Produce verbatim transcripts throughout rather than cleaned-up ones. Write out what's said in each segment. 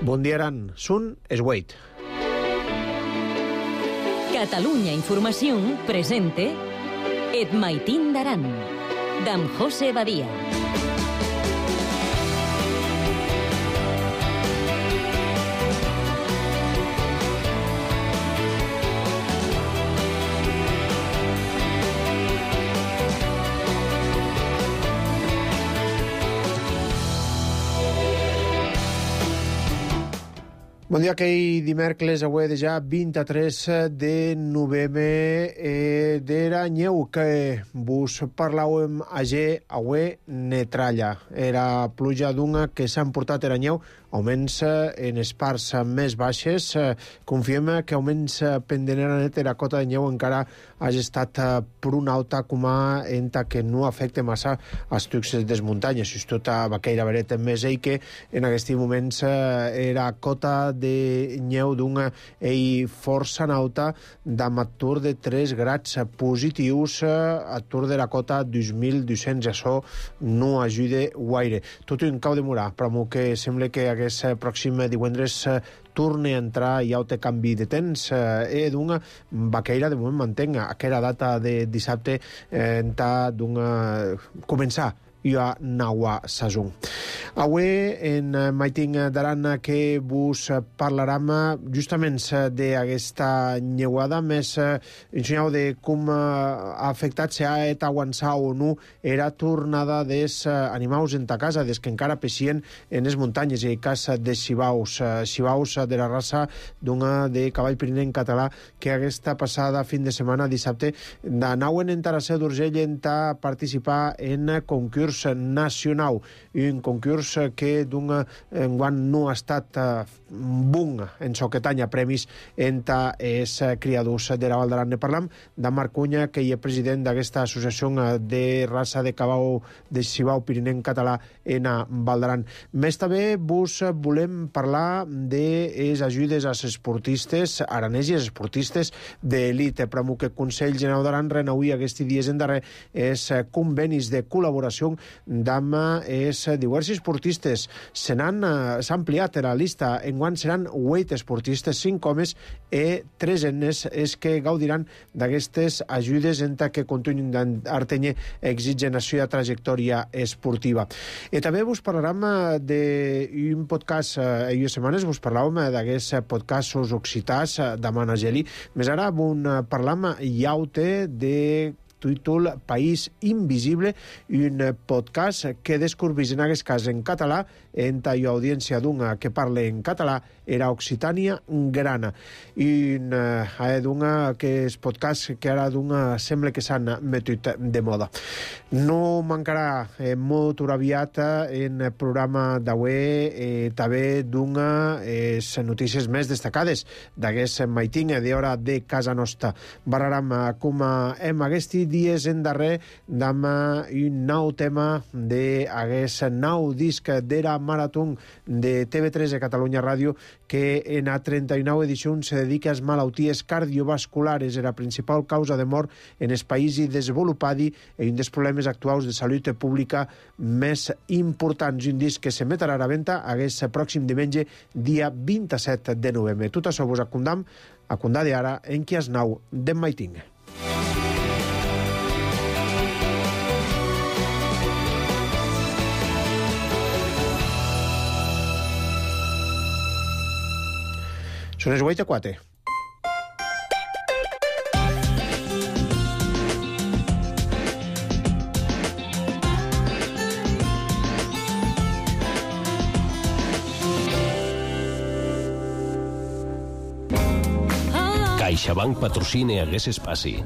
Bon dia, Aran. Sun es Wait. Catalunya Informació presente Et Maitín d'Aran, d'en José Badia. Bon dia, aquell dimecres, avui de ja vint-i-tres de novembre, eh, d'era nyeu que vos parlàvem ayer, avui netralla. Era pluja d'una que s'ha emportat era nyeu, augments en les parts més baixes. Confiem que augments pendenera net era cota de nyeu encara hagi estat prou alta com a enta que no afecta massa els trucs des muntanyes. Just tota vaqueira veret més ell que en aquests moments era cota de nyeu d'una ei força nauta d'am atur de tres grads positius, atur de la cota dos mil dos-cents. Això no ajuda guaire. Tot un cau de morar, però que sembla que aquest pròxim divendres torne a entrar i ja té canvi de temps. Eh, d'una vaqueira de moment mantenga aquella data de dissabte eh, enta d'una començar i a Naua Sazun. Avui en Maitín d'Aran que vos parlarem justament d'aquesta nyeuada, més ensenyau de com ha afectat si ha et aguançar o no era tornada dels animals en ta casa, des que encara peixien en les muntanyes, i el cas de xivaus, xivaus de la raça d'una de cavall pirinenc català que aquesta passada fin de setmana, dissabte, anaven en Taraseu d'Urgell en a participar en concurs nacional, un concurs que d'un enguant no ha estat bon en so que tanya premis entre els criadors de la Val d'Aran. Ne parlam de Marc Cunya, que hi és president d'aquesta associació de raça de cavall de xivau pirinenc català en Val d'Aran. Més també vos volem parlar de les ajudes als esportistes aranès i als esportistes d'elit. Però que el Consell General d'Aran renauï aquests dies en darrer els convenis de col·laboració d'amb els diversos esportistes. Se n'han s'ha ampliat la lista. Enguant seran vuit esportistes, cinc homes i tres enes els que gaudiran d'aquestes ajudes enta que continuïn d'artenyer exigen la seva trajectòria esportiva. I també vos parlarem d'un podcast. Ahir setmanes vos parlàvem d'aquests podcastos occitans de Manageli. Més ara bon parlam iaute de títol País Invisible, un podcast que descobrís en aquest cas en català, en tallo audiència d'una que parla en català, era Occitània Grana. I eh, d'una que és podcast que ara d'una sembla que s'han metut de moda. No mancarà eh, molt aviat en el programa d'avui eh, també d'una eh, notícies més destacades d'aquest Maitín d'hora de casa nostra. Barraram com hem aquests dies en darrer d'am un nou tema d'aquest nou disc d'era marató de T V tres de Catalunya Ràdio, que en a trenta-nou edicions se dedica a les malalties cardiovasculares, la principal causa de mort en els països desenvolupats i un dels problemes actuals de salut pública més importants. Un disc que s'emetrà a la venda aquest pròxim diumenge, dia vint-i-set de novembre. Tot això vos acondam, acondade ara en qui es nau d'en Maitín. Són les vuit a quatre. CaixaBank patrocina aquest espai.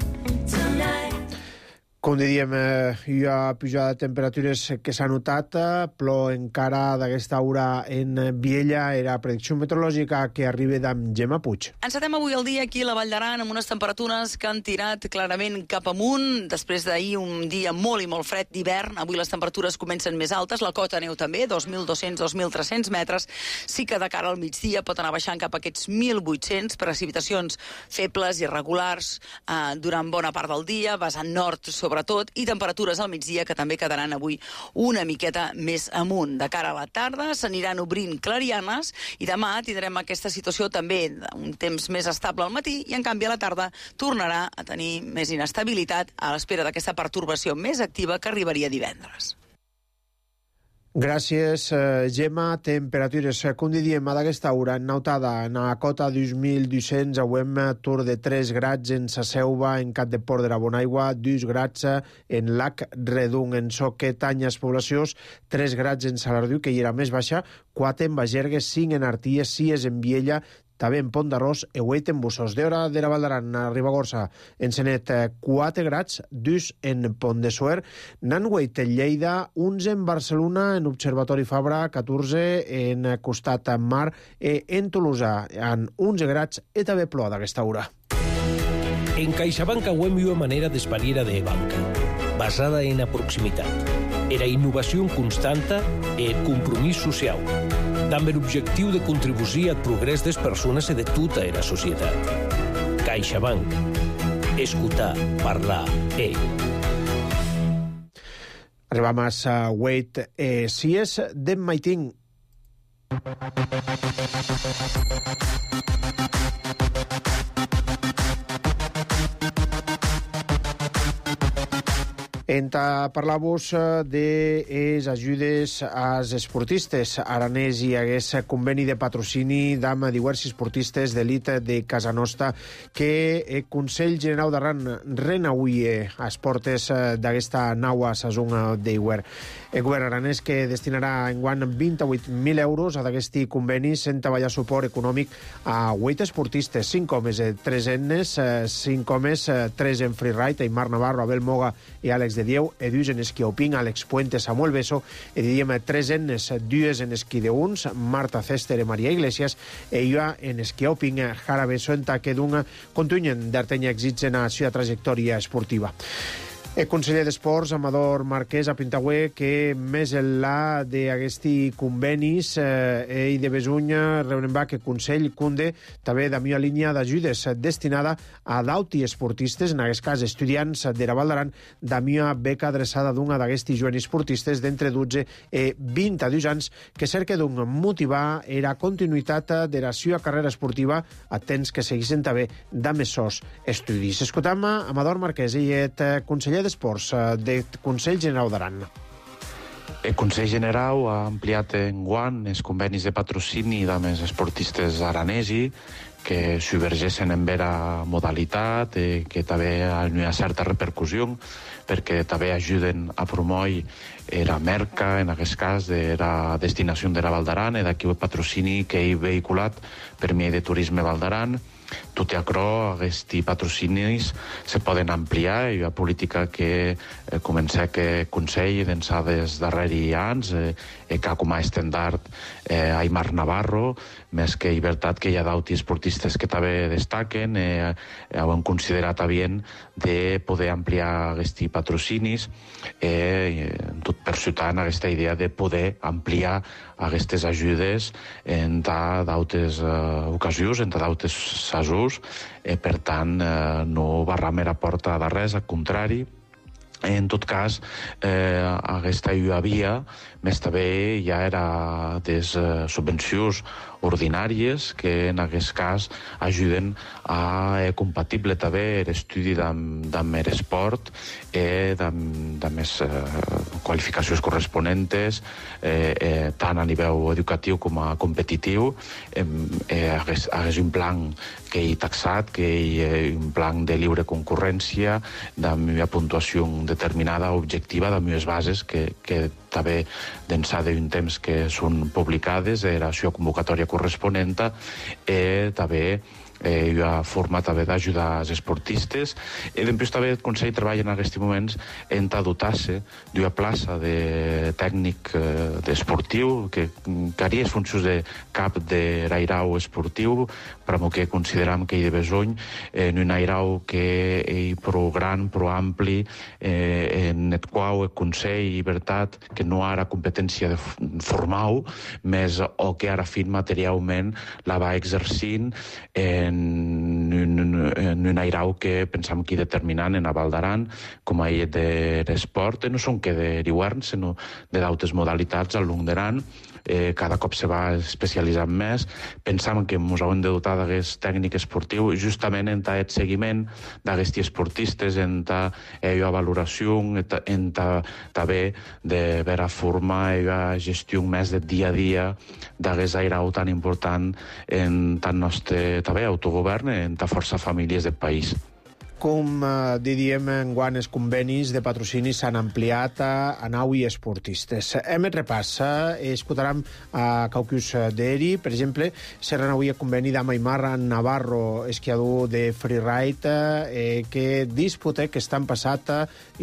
Com diríem, eh, hi ha pujada de temperatures que s'ha notat, però encara d'aquesta hora en Viella era predicció meteorològica que arriba d'en Gemma Puig. Encetem avui el dia aquí a la Vall d'Aran amb unes temperatures que han tirat clarament cap amunt. Després d'ahir un dia molt i molt fred d'hivern, avui les temperatures comencen més altes, la cota neu també, dos mil dos-cents a dos mil tres-cents metres. Sí que de cara al migdia pot anar baixant cap a aquests mil vuit-cents, precipitacions febles i irregulars eh, durant bona part del dia, vessant nord sobre sobretot, i temperatures al migdia que també quedaran avui una miqueta més amunt. De cara a la tarda s'aniran obrint clarianes i demà tindrem aquesta situació també d'un temps més estable al matí i en canvi a la tarda tornarà a tenir més inestabilitat a l'espera d'aquesta pertorbació més activa que arribaria divendres. Gràcies, Gemma. Temperatures, com diem, a d'aquesta hora, nautada en la cota dos mil dos-cents, avem tour de tres grads en sa Selva, en Cap de Port de la Bonaigua, dos grads en Lac Redung, en Soquet, Anyes, Poblacions, tres grads en Salardiu, que hi era més baixa, quatre en Bagergues, cinc en Arties, sis en Viella, també en Pont d'Arròs e vuit en Bussos. D'hora de la Valdaran a Ribagorça, en Senet, quatre grads, dos en Pont de Suert, n'han vuit en Lleida, onze en Barcelona, en Observatori Fabra, catorze en Costat Mar, e en Tolosa, en onze grads, e també plou d'aquesta hora. En CaixaBank auem una manera d'espaliera de banca, basada en la proximitat, era innovació constanta e compromís social, amb l'objectiu de contribuir al progrés de les persones i de tota la societat. CaixaBank. Escoltar, parlar, e. Arribam a sa Wait eh, si és d'en Maitín. Enta parlar-vos de les ajudes als esportistes. Aranès hi hagués conveni de patrocini d'am diversos esportistes d'elit de casa nostra que el Consell Generau d'Aran renauie a les portes d'aquesta naua sazón d'Iwer. El govern aranès que destinarà enguany vint-i-vuit mil euros a d'aquest conveni sent treballar suport econòmic a vuit esportistes, cinc homes, tres ennes, cinc homes, tres en freeride, Aymar Navarro, Abel Moga i Àlex de Dieu, e dues en esquí alpín, Àlex Puente, Samuel Beso, e diríem tres ennes, dues en esquí de uns, Marta Cester i Maria Iglesias, e jo en esquí alpín, Jara Beso, en taque d'un contunyen d'Artenya èxits en la seva trajectòria esportiva. El conseller d'Esports, Amador Marquès, a Pintagüe, que més enllà d'aquesti convenis eh, i de Besunya, reunem va que Consell Cunde també de mia línia d'ajudes destinada a d'auti esportistes, en aquest cas estudiants de la Valdaran, de mia beca adreçada d'una d'aquesti joves esportistes d'entre dotze i vint-i-dos anys que cerca d'un motivar la continuïtat de la seva carrera esportiva a temps que seguissin també de més sos estudis. Escoltam Amador Marquès, i et conseller d'Esports del Consell Generau d'Aran. El Consell Generau ha ampliat enguany els convenis de patrocini amb els esportistes aranesi que subvergeixen en vera modalitat, eh, que també hi ha certa repercussió, perquè també ajuden a promoure la merca, en aquest cas, de la destinació de la Valdaran, i d'aquí el patrocini que he vehiculat per mi de Turisme Valdaran. Tot i això, aquests patrocinis se poden ampliar. Hi ha política que eh, comença que Consell d'ençà dels darrers anys, eh, que com a estendard eh, Aymar Navarro, més que hi veritat que hi ha d'auti esportistes que també destaquen, eh, hem considerat bien de poder ampliar aquests patrocinis, eh, tot per ciutant aquesta idea de poder ampliar aquestes ajudes en d'altres eh, ocasions, en d'altres casos, eh, per tant, eh, no barram la porta de res, al contrari. En tot cas, eh, aquesta hi havia, més també ja era des eh, subvencions ordinàries que en aquest cas ajuden a eh, compatible també l'estudi d'am l'esport i d'am les eh, qualificacions corresponentes eh, eh, tant a nivell educatiu com a competitiu. Eh, eh, hagués, hagués un plan que hi taxat, que hi ha un plan de lliure concurrència, d'am una puntuació determinada, objectiva, d'am unes bases que, que també d'ençà d'un temps que són publicades, era la seva convocatòria corresponent, i també eh, hi ha forma també d'ajudar els esportistes. I després també el Consell treballa en aquests moments en dotar-se d'una plaça de tècnic eh, esportiu que, que haria les funcions de cap de l'airau esportiu, però que consideram que hi ha besoin en un airau que és prou gran, prou ampli, eh, en el qual el Consell i veritat que no ara competència de formal, més o que ara fin materialment la va exercint en en un, en un airau que pensam que determinant en a Val d'Aran, com a illet de l'esport, no són que de l'hivern, sinó de d'altres modalitats al long d'Aran. Eh, cada cop se va especialitzant més. Pensam que ens hem de dotar d'aquest tècnic esportiu justament en aquest seguiment d'aquests esportistes, en aquesta valoració, en també de veure forma i la gestió més de dia a dia d'aquest airau tan important en tant nostre també autogovern, en ta força famílies del país. Com eh, diem, enguany els convenis de patrocini s'han ampliat a, a nau i esportistes. Hem et repassa, escoltarem a Caucus d'Eri, per exemple, se renouia conveni d'Ama Aimar Navarro, esquiador de freeride, eh, que disputa que estan passat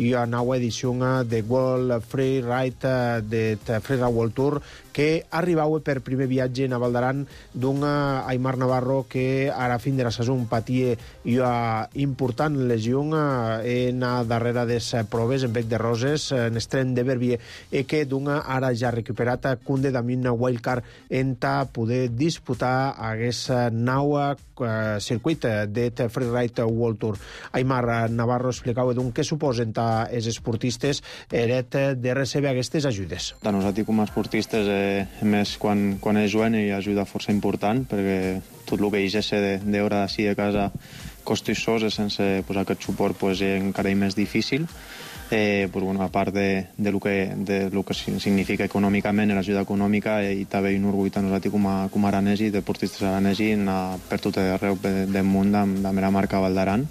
i a nova edició de World Freeride, de Freeride World Tour, que arribava per primer viatge a Val d'Aran d'un Aimar Navarro que ara fin de la saison patia una important lesió en a darrere de les proves en Bec de Roses, en Estren de Verbier, i que d'una ara ja recuperat cunde damunt una wildcard en ta poder disputar aquesta nau eh, circuit de Freeride World Tour. Aimar Navarro explicava d'un què suposen els esportistes eret de recebre aquestes ajudes. De nosaltres com a esportistes eh, més quan, quan és joven hi ajuda força important, perquè tot el que hi és d'hora d'ací de casa costissos i sense pues, aquest suport pues, encara és més difícil. Eh, pues, bueno, a part de, de, lo que, de lo que significa econòmicament, l'ajuda econòmica, i també un orgull a nosaltres com a, com a aranesi, deportistes aranesi, anar per tot arreu del món amb, amb la marca Val d'Aran.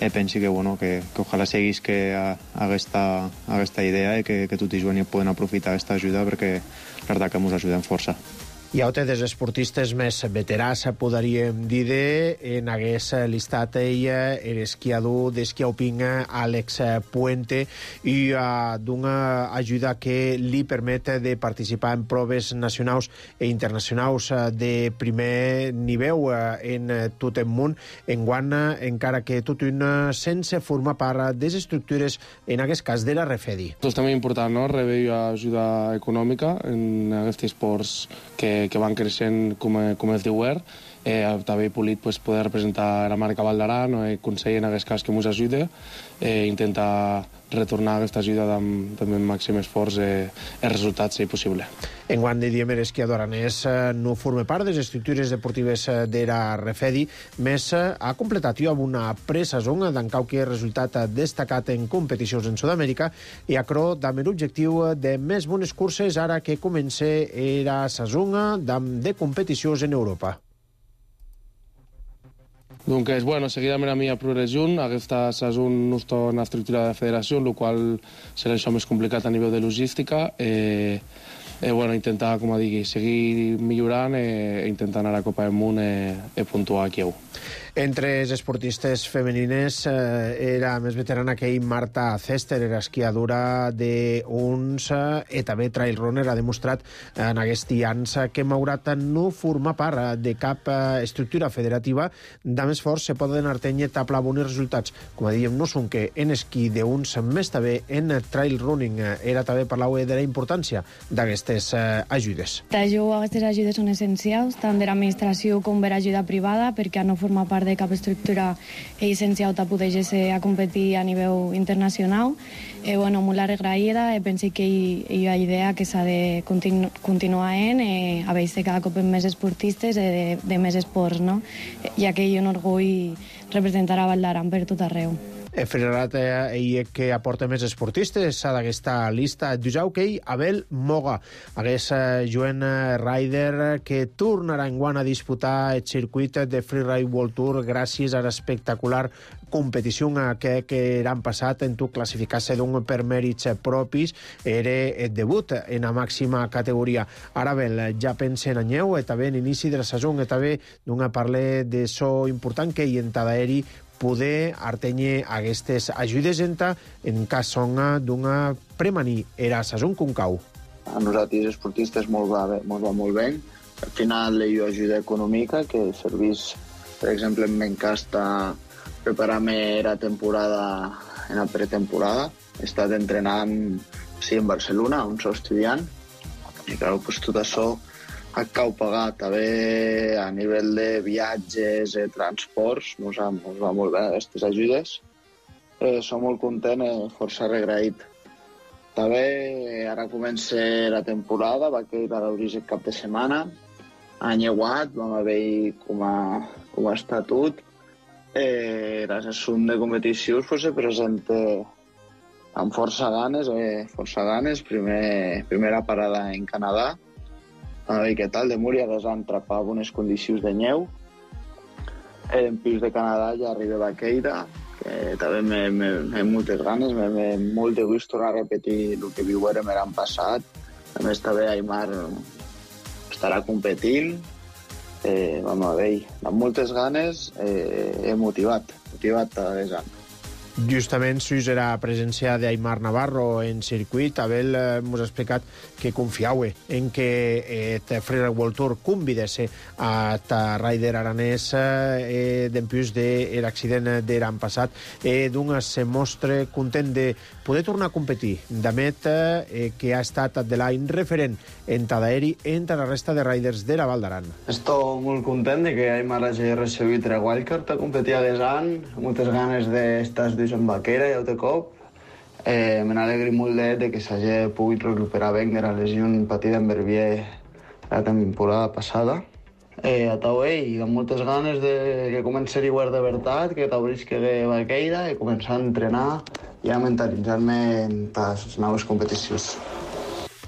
Eh, pensi que, bueno, que, que ojalà seguís que aquesta, aquesta idea i que, que tots i joves poden aprofitar aquesta ajuda, perquè la veritat que ens ajuden força. Hi ha altres esportistes més veterans, podríem dir, en hagués listat ell l'esquiador d'esquiauping Àlex Puente, i uh, d'una ajuda que li permet de participar en proves nacionals i internacionals de primer nivell uh, en tot el món, enguany, encara que tot un sense formar part de les estructures, en aquest cas de la Refedi. És també important, no?, rebre ajuda econòmica en aquests esports que que van creixent com, com el d'hivern. Eh, també polit pues, poder representar la marca Val d'Aran, o el Consell en aquest cas que ens ajuda, eh, intentar retornar aquesta ajuda amb, amb el màxim esforç i eh, els resultats, si possible. Enguany de diem l'esquiador aranès eh, no forma part de les estructures deportives de la Refedi, més eh, ha completat amb una pre-saison d'en qualque resultat destacat en competicions en Sud-amèrica, i acro amb l'objectiu de més bones curses ara que comença la saison de competicions en Europa. Donc, bueno, seguidament a mi a progressió, aquesta és una nostra estructura de federació, el qual serà això més complicat a nivell de logística. Eh, eh, bueno, intentar, com a digui, seguir millorant i eh, intentar anar a la Copa del Món i eh, eh, puntuar aquí. Entre les esportistes femenines eh, era més veterana que ell Marta Cester, era esquiadora d'uns eh, i també trail runner, ha demostrat en aquests anys que malgrat no formar part de cap eh, estructura federativa, de més fort se poden artenyer taplar bons resultats. Com a diem, no són que en esquí d'uns més també en trail running era també parlar de la importància d'aquestes eh, ajudes. Jo, aquestes ajudes són essencials, tant de l'administració com de l'ajuda privada, perquè no forma part de cap estructura essencial per poder a competir a nivell internacional. Eh, bueno, molt agraïda, eh, penso que hi, hi ha idea que s'ha de continu continuar en, eh, a veure cada cop més esportistes eh, de, de més esports, no? Ja que hi ha un orgull representar a Val d'Aran per tot arreu. Frerat ell que aporta més esportistes d'aquesta lista. Dusau que ell, Abel Moga, aquest joven rider que tornarà enguany a disputar el circuit de Freeride World Tour gràcies a l'espectacular competició que, que han passat en tu classificar-se d'un per mèrits propis. Era el debut en la màxima categoria. Ara bé, ja pensa en anyeu, i també en inici de la saison, i també d'una parla de so important que hi en d'aeri poder artenyer aquestes ajudes en cas son d'una premaní era saison concau. A nosaltres esportistes molt va, molt va molt bé. Al final hi ha ajuda econòmica que serveix, per exemple, en meu cas, preparar-me la temporada en la pretemporada. He estat entrenant sí, en Barcelona, on soc estudiant, i clar, pues, tot això a cau pagar també a nivell de viatges, eh, transports, mos va, mos va molt bé aquestes ajudes. Eh, som molt content i força agraït. També ara comença la temporada, va quedar d'obrir el cap de setmana. Any aguat, vam haver com a, com a estatut. Eh, L'assunt de competicions pues, se presenta amb força ganes, eh, força ganes. Primer, primera parada en Canadà. A veure què tal, de Múria que s'han atrapat unes condicions de neu. En pis de Canadà ja arriba a Vaqueira, que també m'he moltes ganes, m'he molt de gust tornar a repetir el que viurem l'any passat. A més, també Aimar estarà competint. Eh, vam a veure, amb moltes ganes, eh, he motivat, motivat a desant. Justament, sus era presència d'Aimar Navarro en circuit. Abel eh, mos ha explicat que confiau en que eh, Freeride World Tour convidesse a ta rider aranès eh, d'empús de l'accident de l'any passat. Eh, doncs se mostra content de poder tornar a competir. Damet, eh, que ha estat de l'any referent en Tadaeri entre la resta de riders de la Val d'Aran. Estic molt content de que Aimar hagi recibit el wildcard a competir a desant. Moltes ganes d'estar en Vaquera i altre cop. Eh, me n'alegri molt de, de que s'hagi pogut recuperar bé de la lesió patida en Verbier la temporada passada. Eh, a Taué, i amb moltes ganes de que comenci a guardar de veritat, que t'obrisqui a Vaqueira i començar a entrenar i a mentalitzar-me en les noves competicions.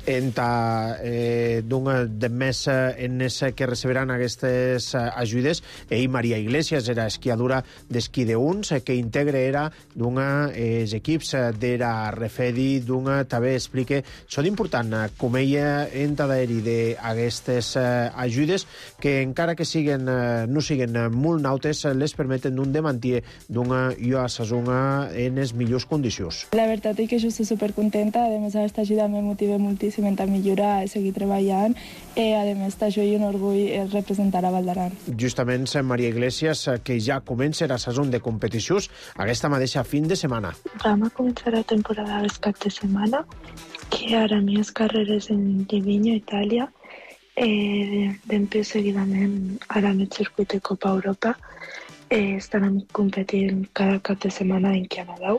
En ta, eh, de més en es que receberan aquestes ajudes, ell, Maria Iglesias, era esquiadora d'esquí de uns, que integra era d'una els equips de la Refedi, d'una també explica, són important, com ella en Tadaeri d'aquestes ajudes, que encara que siguen, no siguen molt nautes, les permeten d'un de mantenir d'una i a Sasuna en les millors condicions. La veritat és que jo estic supercontenta, a més aquesta ajuda me motiva moltíssim a millorar i seguir treballant. Eh, a més, això és un orgull representar a Val d'Aran. Justament, Maria Iglesias, que ja comença la sessió de competicions aquesta mateixa fin de setmana. Vam a començar la temporada del cap de setmana, que ara més carreres en Livigno, Itàlia. Eh, Després, seguidament, ara en el circuit de Copa Europa. Eh, estarem competint cada cap de setmana en Canadà.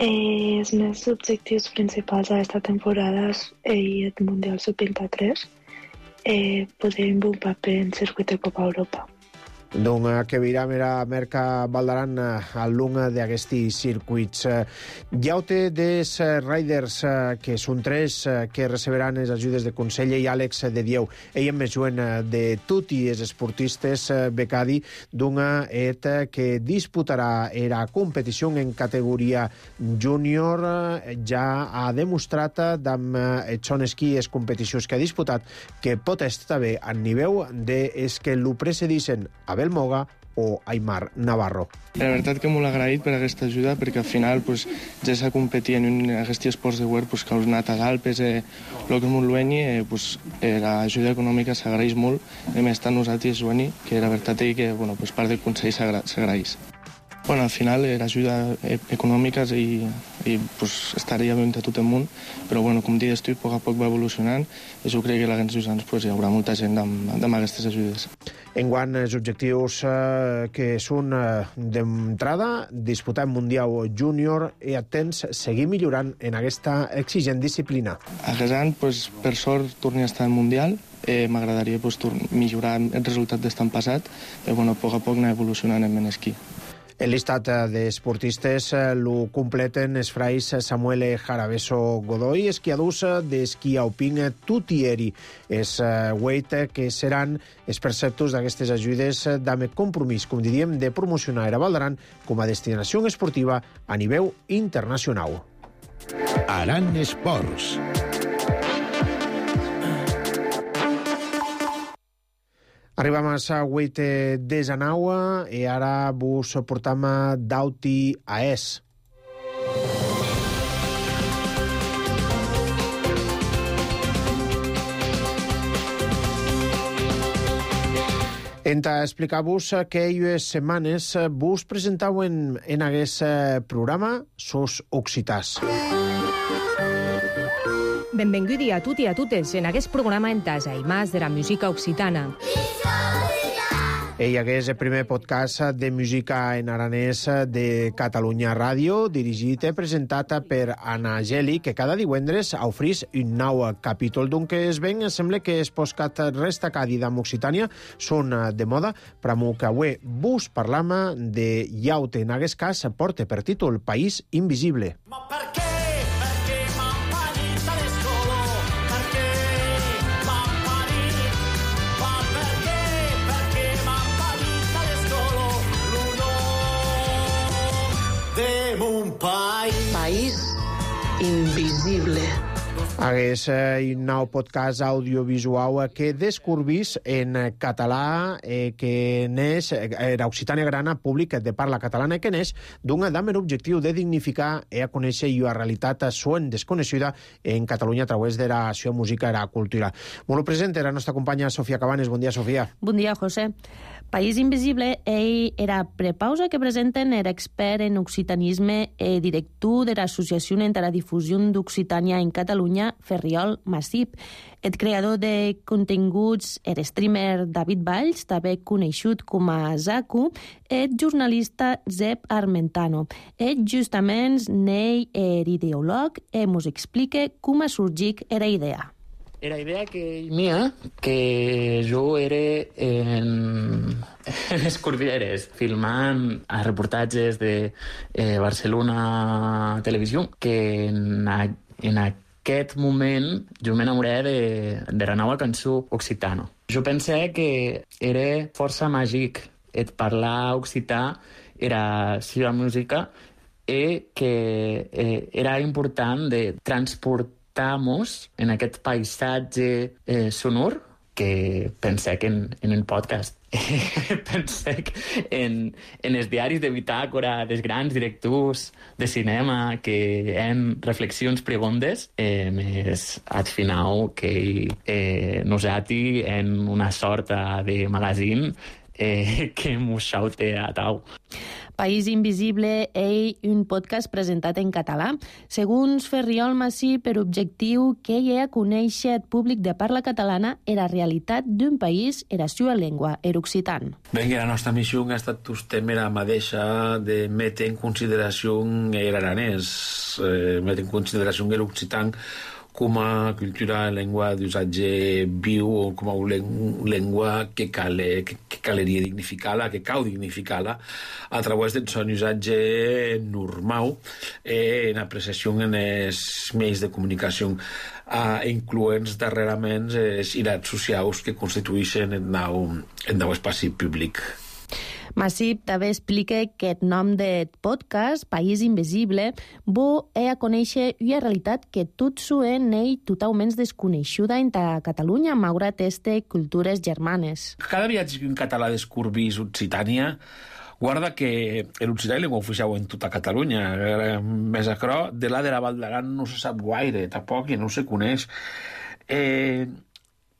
Eh, els meus objectius principals d'aquesta temporada és eh, el Mundial sub vint-i-tres, eh, poder un paper en circuit de Copa Europa. Doncs que viram era Merca Val d'Aran al lung d'aquests circuits. Hi ha des riders, que són tres, que receberan les ajudes de Consell i Àlex de Dieu. Ell em juen de tots els esportistes becadi d'una et que disputarà la competició en categoria júnior. Ja ha demostrat amb són esquí les competicions que ha disputat que pot estar bé a nivell des que lo precedissin a Abel Moga o Aimar Navarro. La veritat que molt agraït per aquesta ajuda, perquè al final pues, ja s'ha competit en un, aquests esports de guer pues, que heu anat als Alpes, eh, el que molt luenyi, eh, pues, eh, l'ajuda econòmica s'agraeix molt, a més tant nosaltres luenyi, que la veritat és que bueno, pues, part del Consell s'agraeix. Bueno, al final eh, l'ajuda econòmica i, i pues, estaria ben de tot el món, però bueno, com dius tu, a poc a poc va evolucionant i jo crec que l'any anys pues, hi haurà molta gent amb, amb aquestes ajudes. Enguany, els objectius eh, que són eh, d'entrada, disputar el Mundial Júnior i atents, seguir millorant en aquesta exigent disciplina. Aquest any, pues, per sort, torni a estar al Mundial. Eh, M'agradaria pues, millorar el resultat d'estan passat, però bueno, a poc a poc anar evolucionant en esquí. El listat d'esportistes lo completen els frais Samuel Jarabeso Godoy, esquiadors d'esquí alpin Tutieri. És weit que seran els perceptors d'aquestes ajudes d'ame compromís, com diríem, de promocionar a Val d'Aran com a destinació esportiva a nivell internacional. Aran Esports. Arribam a la vuit de Zanaua i ara vos portam d'Auti a Es. Enta explicar-vos que aquestes setmanes vos presentau en, en aquest programa sos occitans. Benvinguts a tutti e a totes en aquest programa en tasa i més de la música occitana. Ell és el primer podcast de música en aranès de Catalunya Ràdio, dirigit i presentat per Anna Geli, que cada divendres ofreix un nou capítol. D'un que es ven, sembla que els podcasts resta cada dia amb Occitània són de moda, però que avui vos parlam de Yaute, en aquest cas porta per títol País Invisible. Ma per què? Perquè m'han parit a l'escola, perquè m'han parit. Ma per què? Perquè m'han parit a l'escola, l'olor de mon país. País Invisible. Hagués eh, un nou podcast audiovisual que descobrís en català eh, que neix, era Occitània Grana, públic de parla catalana, que neix d'un damer objectiu de dignificar i a conèixer la realitat suen desconeixida en Catalunya a través de la seva música i la cultura. Molt present era la nostra companya Sofia Cabanes. Bon dia, Sofia. Bon dia, José. País Invisible, ell era prepausa que presenten, era expert en occitanisme i director de l'Associació per la Difusió d'Occitània en Catalunya, Ferriol Massip. El creador de continguts, el streamer David Valls, també coneixut com a Zaku, el jornalista Zeb Armentano. Ell justament n'ell és ideòleg i ens explica com ha sorgit la idea. Era idea que mia, que jo era en, en les Cordilleres, filmant a reportatges de eh, Barcelona Televisió, que en, a, en aquest moment jo m'enamoré de, de la nova cançó occitana. Jo pensé que era força màgic et parlar occità, era seva música, i que eh, era important de transportar estamos en aquest paisatge eh, sonor que pensé que en, en el podcast. Pensé en, en els diaris de bitàcora dels grans directors de cinema que en reflexions preguntes eh, més al final que eh, nosaltres en una sorta de magazine eh, que mos xaute a tau. País Invisible és un podcast presentat en català. Segons Ferriol Massip, per objectiu que ell ha conèixer el públic de parla catalana i la realitat d'un país i la seva llengua, er occitan. Ben, la nostra missió ha estat també la mateixa de metre en consideració l'aranès, eh, metre en consideració l'occitan com a cultura, llengua d'usatge viu o com a llengua que, cal, que, que caleria dignificar-la, que cal dignificar-la a través del son usatge normal eh, en apreciació en els mitjans de comunicació, eh, incloents darrerament les irats socials que constitueixen el nou, el nou espai públic. Massip també explica que el nom del podcast, País Invisible, bo és a conèixer una realitat que tot suen ell totalment desconeixuda en Catalunya, malgrat aquestes cultures germanes. Cada viatge en català descobrís Occitània, guarda que l'occità és llengua oficial en tota Catalunya. Més acrò, de la de la Val d'Aran no se sap gaire, tampoc, i no se coneix. Eh...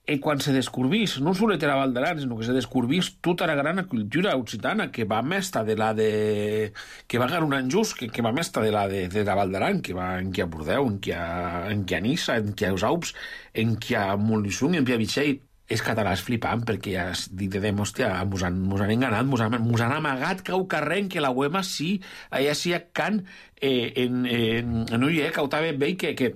I quan se descobrís, no solet era Val d'Aran, sinó que se descobrís tota la gran cultura occitana que va mesta de la de... que va ganar un any just, que, que va mesta de la de, de la Val d'Aran, que va en qui a Bordeu, en qui a, en qui a Nissa, en qui a Usaups, en qui a Montluçon, en qui a Vitxell. És català és flipant, perquè ja dic de hòstia, mos han, mos han enganat, mos han, mos han amagat cau carrer en que la uema sí, allà sí a can, eh, en, en, en ull, eh, cautava bé que... que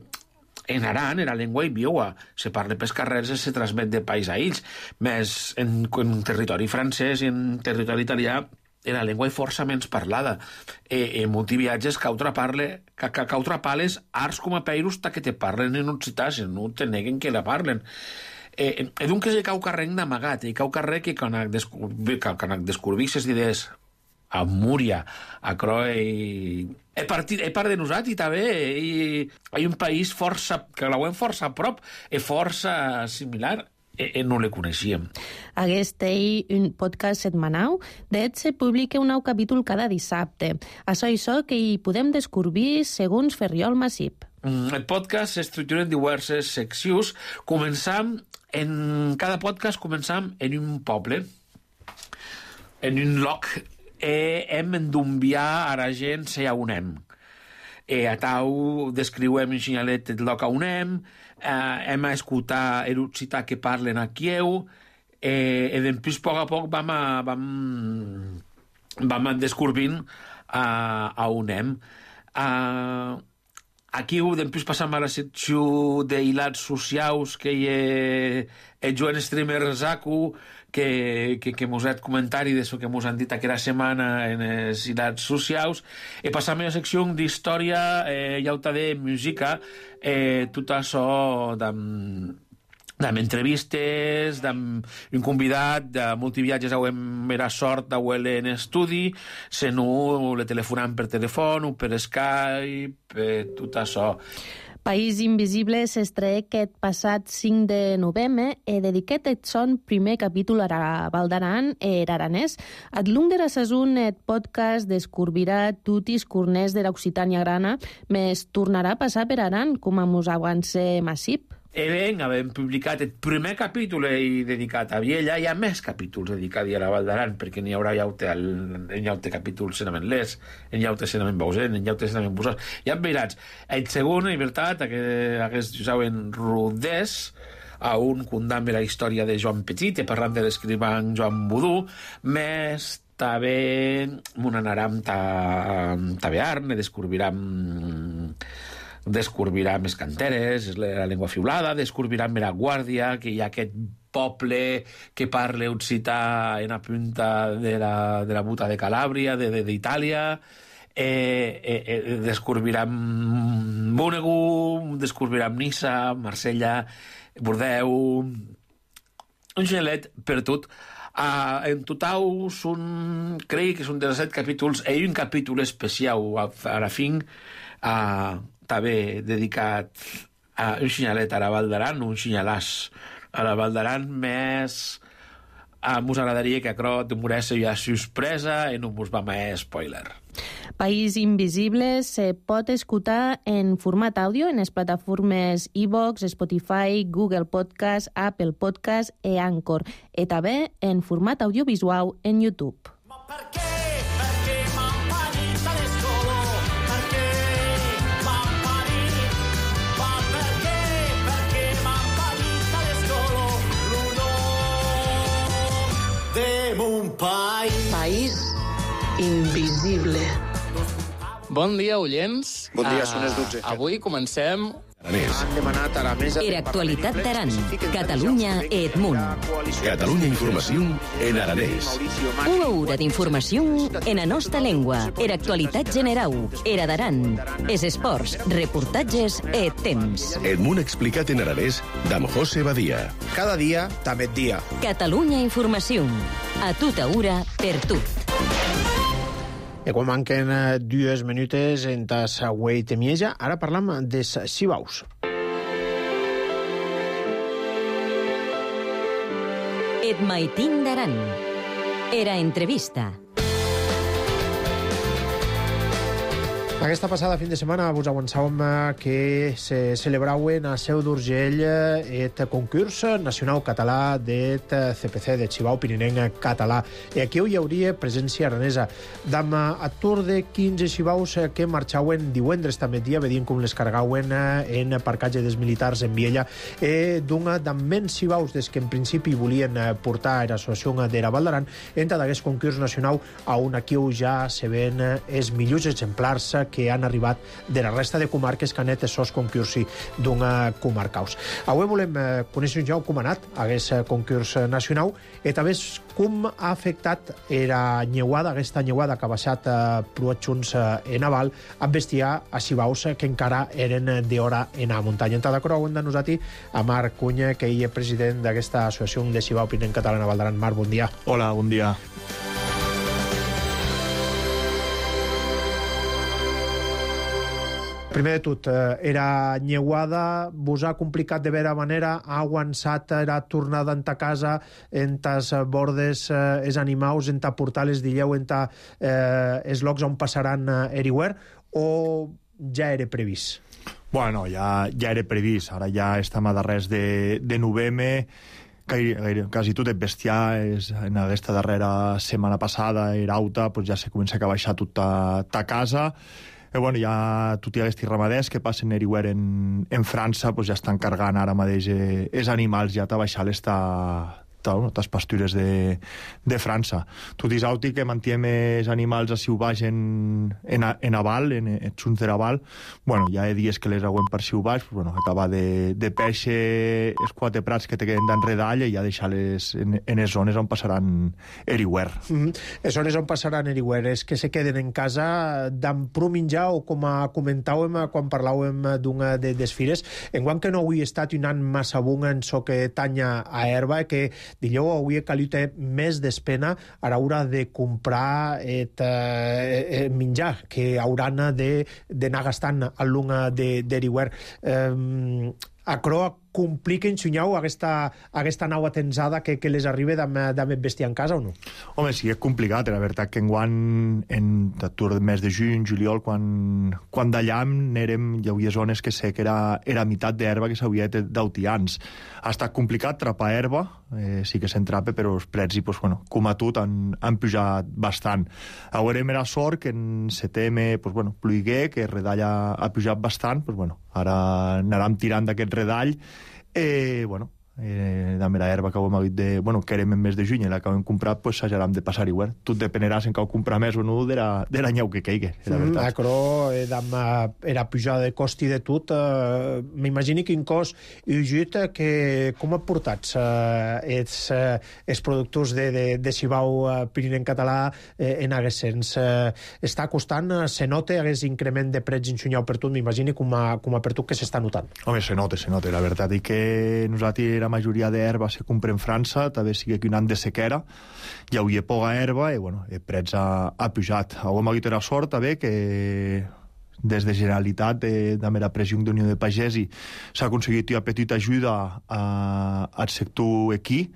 en aran, en la llengua i viua, se parla pels carrers i se transmet de país a ells. Més en, en territori francès i en territori italià en la llengua força menys parlada. E, en molts viatges cautra parle, ca, ca, cautra pales arts com a peiros ta que te parlen en occità, si no te neguen que la parlen. E, e donc és el cau carrer d'amagat, el cau carrer que quan descobrís les idees a Múria, a Croe i... He part, he part de nosaltres també, hi ha un país força, que la veiem força a prop, i força similar, i, i no le coneixíem. Aquest és un podcast setmanal, d'et se publica un nou capítol cada dissabte. Això és això que hi podem descobrir segons Ferriol Massip. El podcast s'estructura en diverses seccions. Començam, en cada podcast començam en un poble, en un loc e hem d'enviar a la gent se on hem. E a tau descriuem en xinyalet el loc on hem, eh, hem a escoltar l'occità que parlen a Kieu, e, e després, a poc a poc, vam, a, vam, vam descobrint a, a on hem. A, aquí després passam a la secció d'hilats socials que hi ha el Joan Streamer Zaku, que, que, que mos ha comentari d'això que mos han dit aquella setmana en els hilats socials, i passam a la secció d'història, eh, llauta de música, eh, tot això d'am d'am entrevistes, d'am un convidat de multiviatges a hem era sort d'auele en estudi, se no le telefonam per telèfon o per Skype, eh, tot això. País Invisible s'estreé aquest passat cinc de novembre e dediquet eth son primer capítol a Val d'Aran e er aranès. Ad long de la saison eth podcast descobrirà tutis corners de l'Occitània grana, mes tornarà a passar per Aran, com a mos avance massip. E ben, havem publicat el primer capítol dedicat a Viella, hi ha més capítols dedicats a la Val d'Aran, perquè n'hi haurà llaute, en llaute capítols senament les, en llaute senament Bausen, en llaute senament Busós. Ja veuràs, el segon, en veritat, aquest, saben, Rodés, a un condamne la història de Joan Petit, i parlant de l'escrivant Joan Budú, més també m'ho anarem a Bearn, descobrirem descobrirà més canteres, la llengua fiulada, descobrirà Mera Guàrdia, que hi ha aquest poble que parla occità en la punta de la, de la buta de Calàbria, d'Itàlia, eh, eh, eh, descobrirà Mónego, descobrirà Nissa, Marsella, Bordeus, un gelet per tot. Uh, en total són, crec que són disset capítols, i un capítol especial a, a la fin, uh, també dedicat a un xinyalet a la Val d'Aran, un xinyalàs a la Val d'Aran, més uh, mos agradaria que acrò demorés ja sorpresa i no mos va més spoiler. País Invisible se pot escoltar en format àudio en les plataformes iVoox, Spotify, Google Podcast, Apple Podcast i Anchor, i també en format audiovisual en YouTube. País Invisible. Bon dia, oients. Bon dia, uh, són les dotze. Avui comencem... Han demanat a la mesa... Era actualitat d'Aran, Catalunya e Edmunt. Catalunya Informació en aranès. Una hora d'informació en la nostra llengua. Era actualitat generau, era d'Aran. Es esports, reportatges e temps. Edmunt explicat en aranès d'Am José Badia. Cada dia, també dia. Catalunya Informació. A tota hora, per tot. I quan manquen dues minutes en tas Güell Temieja, ara parlam des Sibaus. Et maitin d'Aran. Era entrevista. Aquesta passada fin de setmana vos avançàvem que se celebrauen a Seu d'Urgell el concurs nacional català del C P C, del Xibau Pirinenc Català. I aquí hi hauria presència aranesa. D'am atur de quinze xibaus que marxauen divendres també dia, vedien com les cargauen en parcatge dels militars en Viella, i d'un d'ammens xibaus des que en principi volien portar a l'associació de la Val d'Aran entra d'aquest concurs nacional a on aquí ja se ven els millors exemplars que han arribat de la resta de comarques que han anat sos concursi d'una comarcaus. Avui volem eh, conèixer ja com ha anat aquest concurs nacional i també com ha afectat la nyeuada, aquesta nyeuada que ha baixat eh, pruat junts eh, en aval, a bestiar a xibaus que encara eren d'hora en la muntanya. En cada cor, de nosaltres, a Marc Cunya, que ell és president d'aquesta associació de Xibau Pirinenc Català a Val d'Aran. Marc, bon dia. Hola, bon dia. Primer de tot, era nyeuada, vos ha complicat de vera manera, ha aguançat era tornada en ta casa, en tas bordes eh, els animals, en ta portales d'illeu, en ta eh, els llocs on passaran eh, eriuer, o ja era previst? Bueno, ja, ja era previst. Ara ja estem a darrers de, de novembre. gaire, gaire, quasi tot el bestiar és, en aquesta darrera setmana passada era auta, pues ja se comença a baixar tot a, a casa. E bueno, ja tots aquests ramaders que passen everywhere en, en França pues ja estan cargant ara mateix eh, els animals ja a baixar l'esta les pastures de, de França. Tot és auti que mantiem els animals a baix en, en, en aval, en, en junts de l'aval. Bueno, ja he dies que les aguem per siu baix, pues, bueno, acabar de, de pèixer els quatre prats que te queden d'enredall i ja deixar-les en, en les zones on passaran everywhere. Mm -hmm. Les zones on passaran everywhere és que se queden en casa d'en prou menjar o com a comentàvem quan parlàvem d'una de les fires, en quant que no avui estat un any massa bon en so que tanya a herba, que dileu avui he calit més d'espena a l'hora de comprar et, eh, menjar que hauran d'anar gastant a l'una d'Eriware. Eh, a Croa compliquen, Xunyau, aquesta, aquesta nau atensada que, que les arriba d'haver bestiar en casa o no? Home, sí, és complicat. La veritat que enguany, en el mes de juny, juliol, quan, quan d'allà n'érem, hi havia zones que sé que era, era meitat d'herba que s'havia d'autians. Ha estat complicat trapar herba, eh, sí que s'entrapa, però els preus, pues, bueno, com a tot, han, han pujat bastant. Haurem era sort que en setembre, pues, bueno, pluigué, que el redall ha, ha pujat bastant, pues, bueno, ara anàrem tirant d'aquest redall. Eh, bueno, eh, de mera herba que ho hem dit de, bueno, que érem en mes de juny i l'acabem comprat, pues s'hajarem de passar igual. Tot dependerà si en cau comprar més o no de la, de la nyeu que caigui, la veritat. Mm, però eh, era pujada de cost i de tot. Eh, M'imagini quin cost i jut que com ha portat eh, els, eh, els productors de, de, de Sibau eh, Pirineu català eh, en aguest sens. Eh, està costant, eh, se nota aguest increment de preus en Xunyau per tot, m'imagini com, a, com a per tot que s'està notant. Home, se nota, se nota, la veritat, i que nosaltres la majoria d'herba se compra en França, també sigui que un any de sequera, hi havia poca herba i, bueno, el preu ha, ha pujat. Avui m'ha dit la sort, també, que des de Generalitat, de, de la pressió d'Unió de Pagesi, s'ha aconseguit una petita ajuda a, al sector equí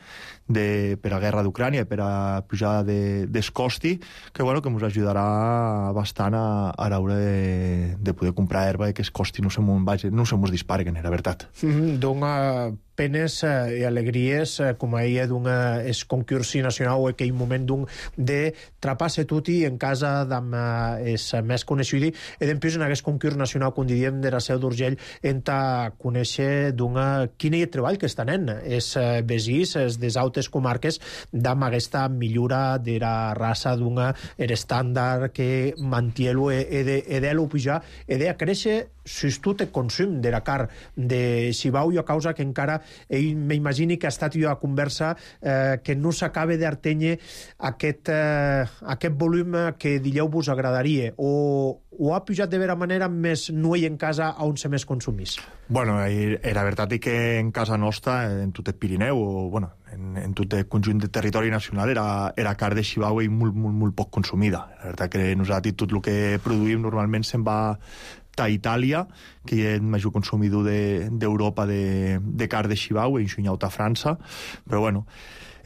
de, per a la guerra d'Ucrània, per a pujada de, dels costi, que, bueno, que ens ajudarà bastant a, a l'hora de, de poder comprar herba i que els costi no se mos disparguen, la veritat. Mm-hmm. Dona penes eh, i alegries, eh, com a ella d'un es concursi nacional o aquell moment d'un de trapar-se tutti en casa d'am eh, és més coneixudi i d'empús en aquest concurs nacional, com diríem, de la Seu d'Urgell, en ta conèixer d'una quin hi ha treball que estan en és eh, besís, és des altres comarques d'am aquesta millora de la raça d'una er estàndard que mantielo e, e de, e de lo pujar e de a créixer sustut el consum de la car de Sibau i a causa que encara ell m'imagini que ha estat jo a conversa eh, que no s'acabe d'artenyer aquest, eh, aquest volum que dileu vos agradaria o, o ha pujat de vera manera més nuell en casa on se més consumís? Bueno, la veritat és que en casa nostra, en tot el Pirineu o bueno, en, en tot el conjunt de territori nacional era, era car de Sibau i molt, molt, molt poc consumida. La veritat que nosaltres tot el que produïm normalment se'n va a Itàlia, que és el major consumidor d'Europa de, de car de Sibau, i enxunyat a França, però bueno,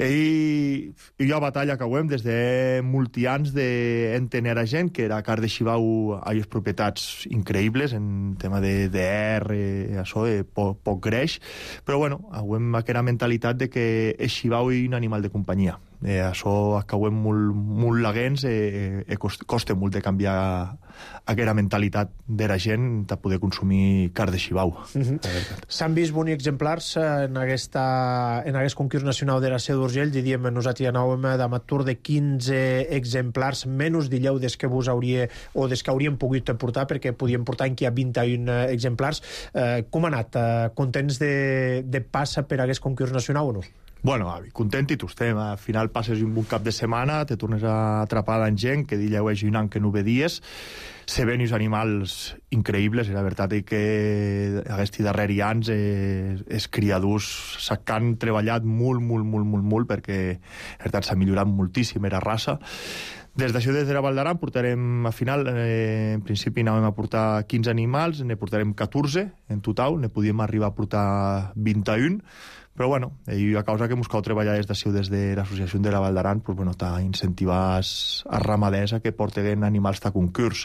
i hi ha batalla que ho hem des de molti anys d'entener a gent que la car de Sibau ha les propietats increïbles en tema de D R, això, de poc, poc greix, però bueno, ho hem aquesta mentalitat de que el Sibau és un animal de companyia. Eh, això acabem molt, molt laguens i eh, eh, costa, costa molt de canviar aquesta mentalitat de la gent de poder consumir car de Sibau. Mm-hmm. S'han vist bons exemplars en, aquesta, en aquest concurs nacional de la Seu d'Urgell, diríem, nosaltres anàvem d'amatur de quinze exemplars, menys dileu des que vos hauria, o des que hauríem pogut portar, perquè podíem portar en qui ha vint i un exemplars. Eh, com ha anat? Eh, contents de, de passa per aquest concurs nacional o no? Bueno, avi, content i tu estem. Al final passes un bon cap de setmana, te tornes a atrapar en gent que dileu és un any que no vedies, se ven uns animals increïbles, i la veritat és que aquests darrers anys eh, els criadors s'han treballat molt, molt, molt, molt, molt, perquè la veritat s'ha millorat moltíssim la raça. Des d'això, des de la Val d'Aran, portarem, al final, eh, en principi anàvem a portar quinze animals, ne portarem catorze en total, ne podíem arribar a portar vint-i-un, però bueno, i a causa que mos cal treballar des d'això, des de l'associació de la Val d'Aran, pues, bueno, t'ha incentivar a ramaders a que porten animals a concurs.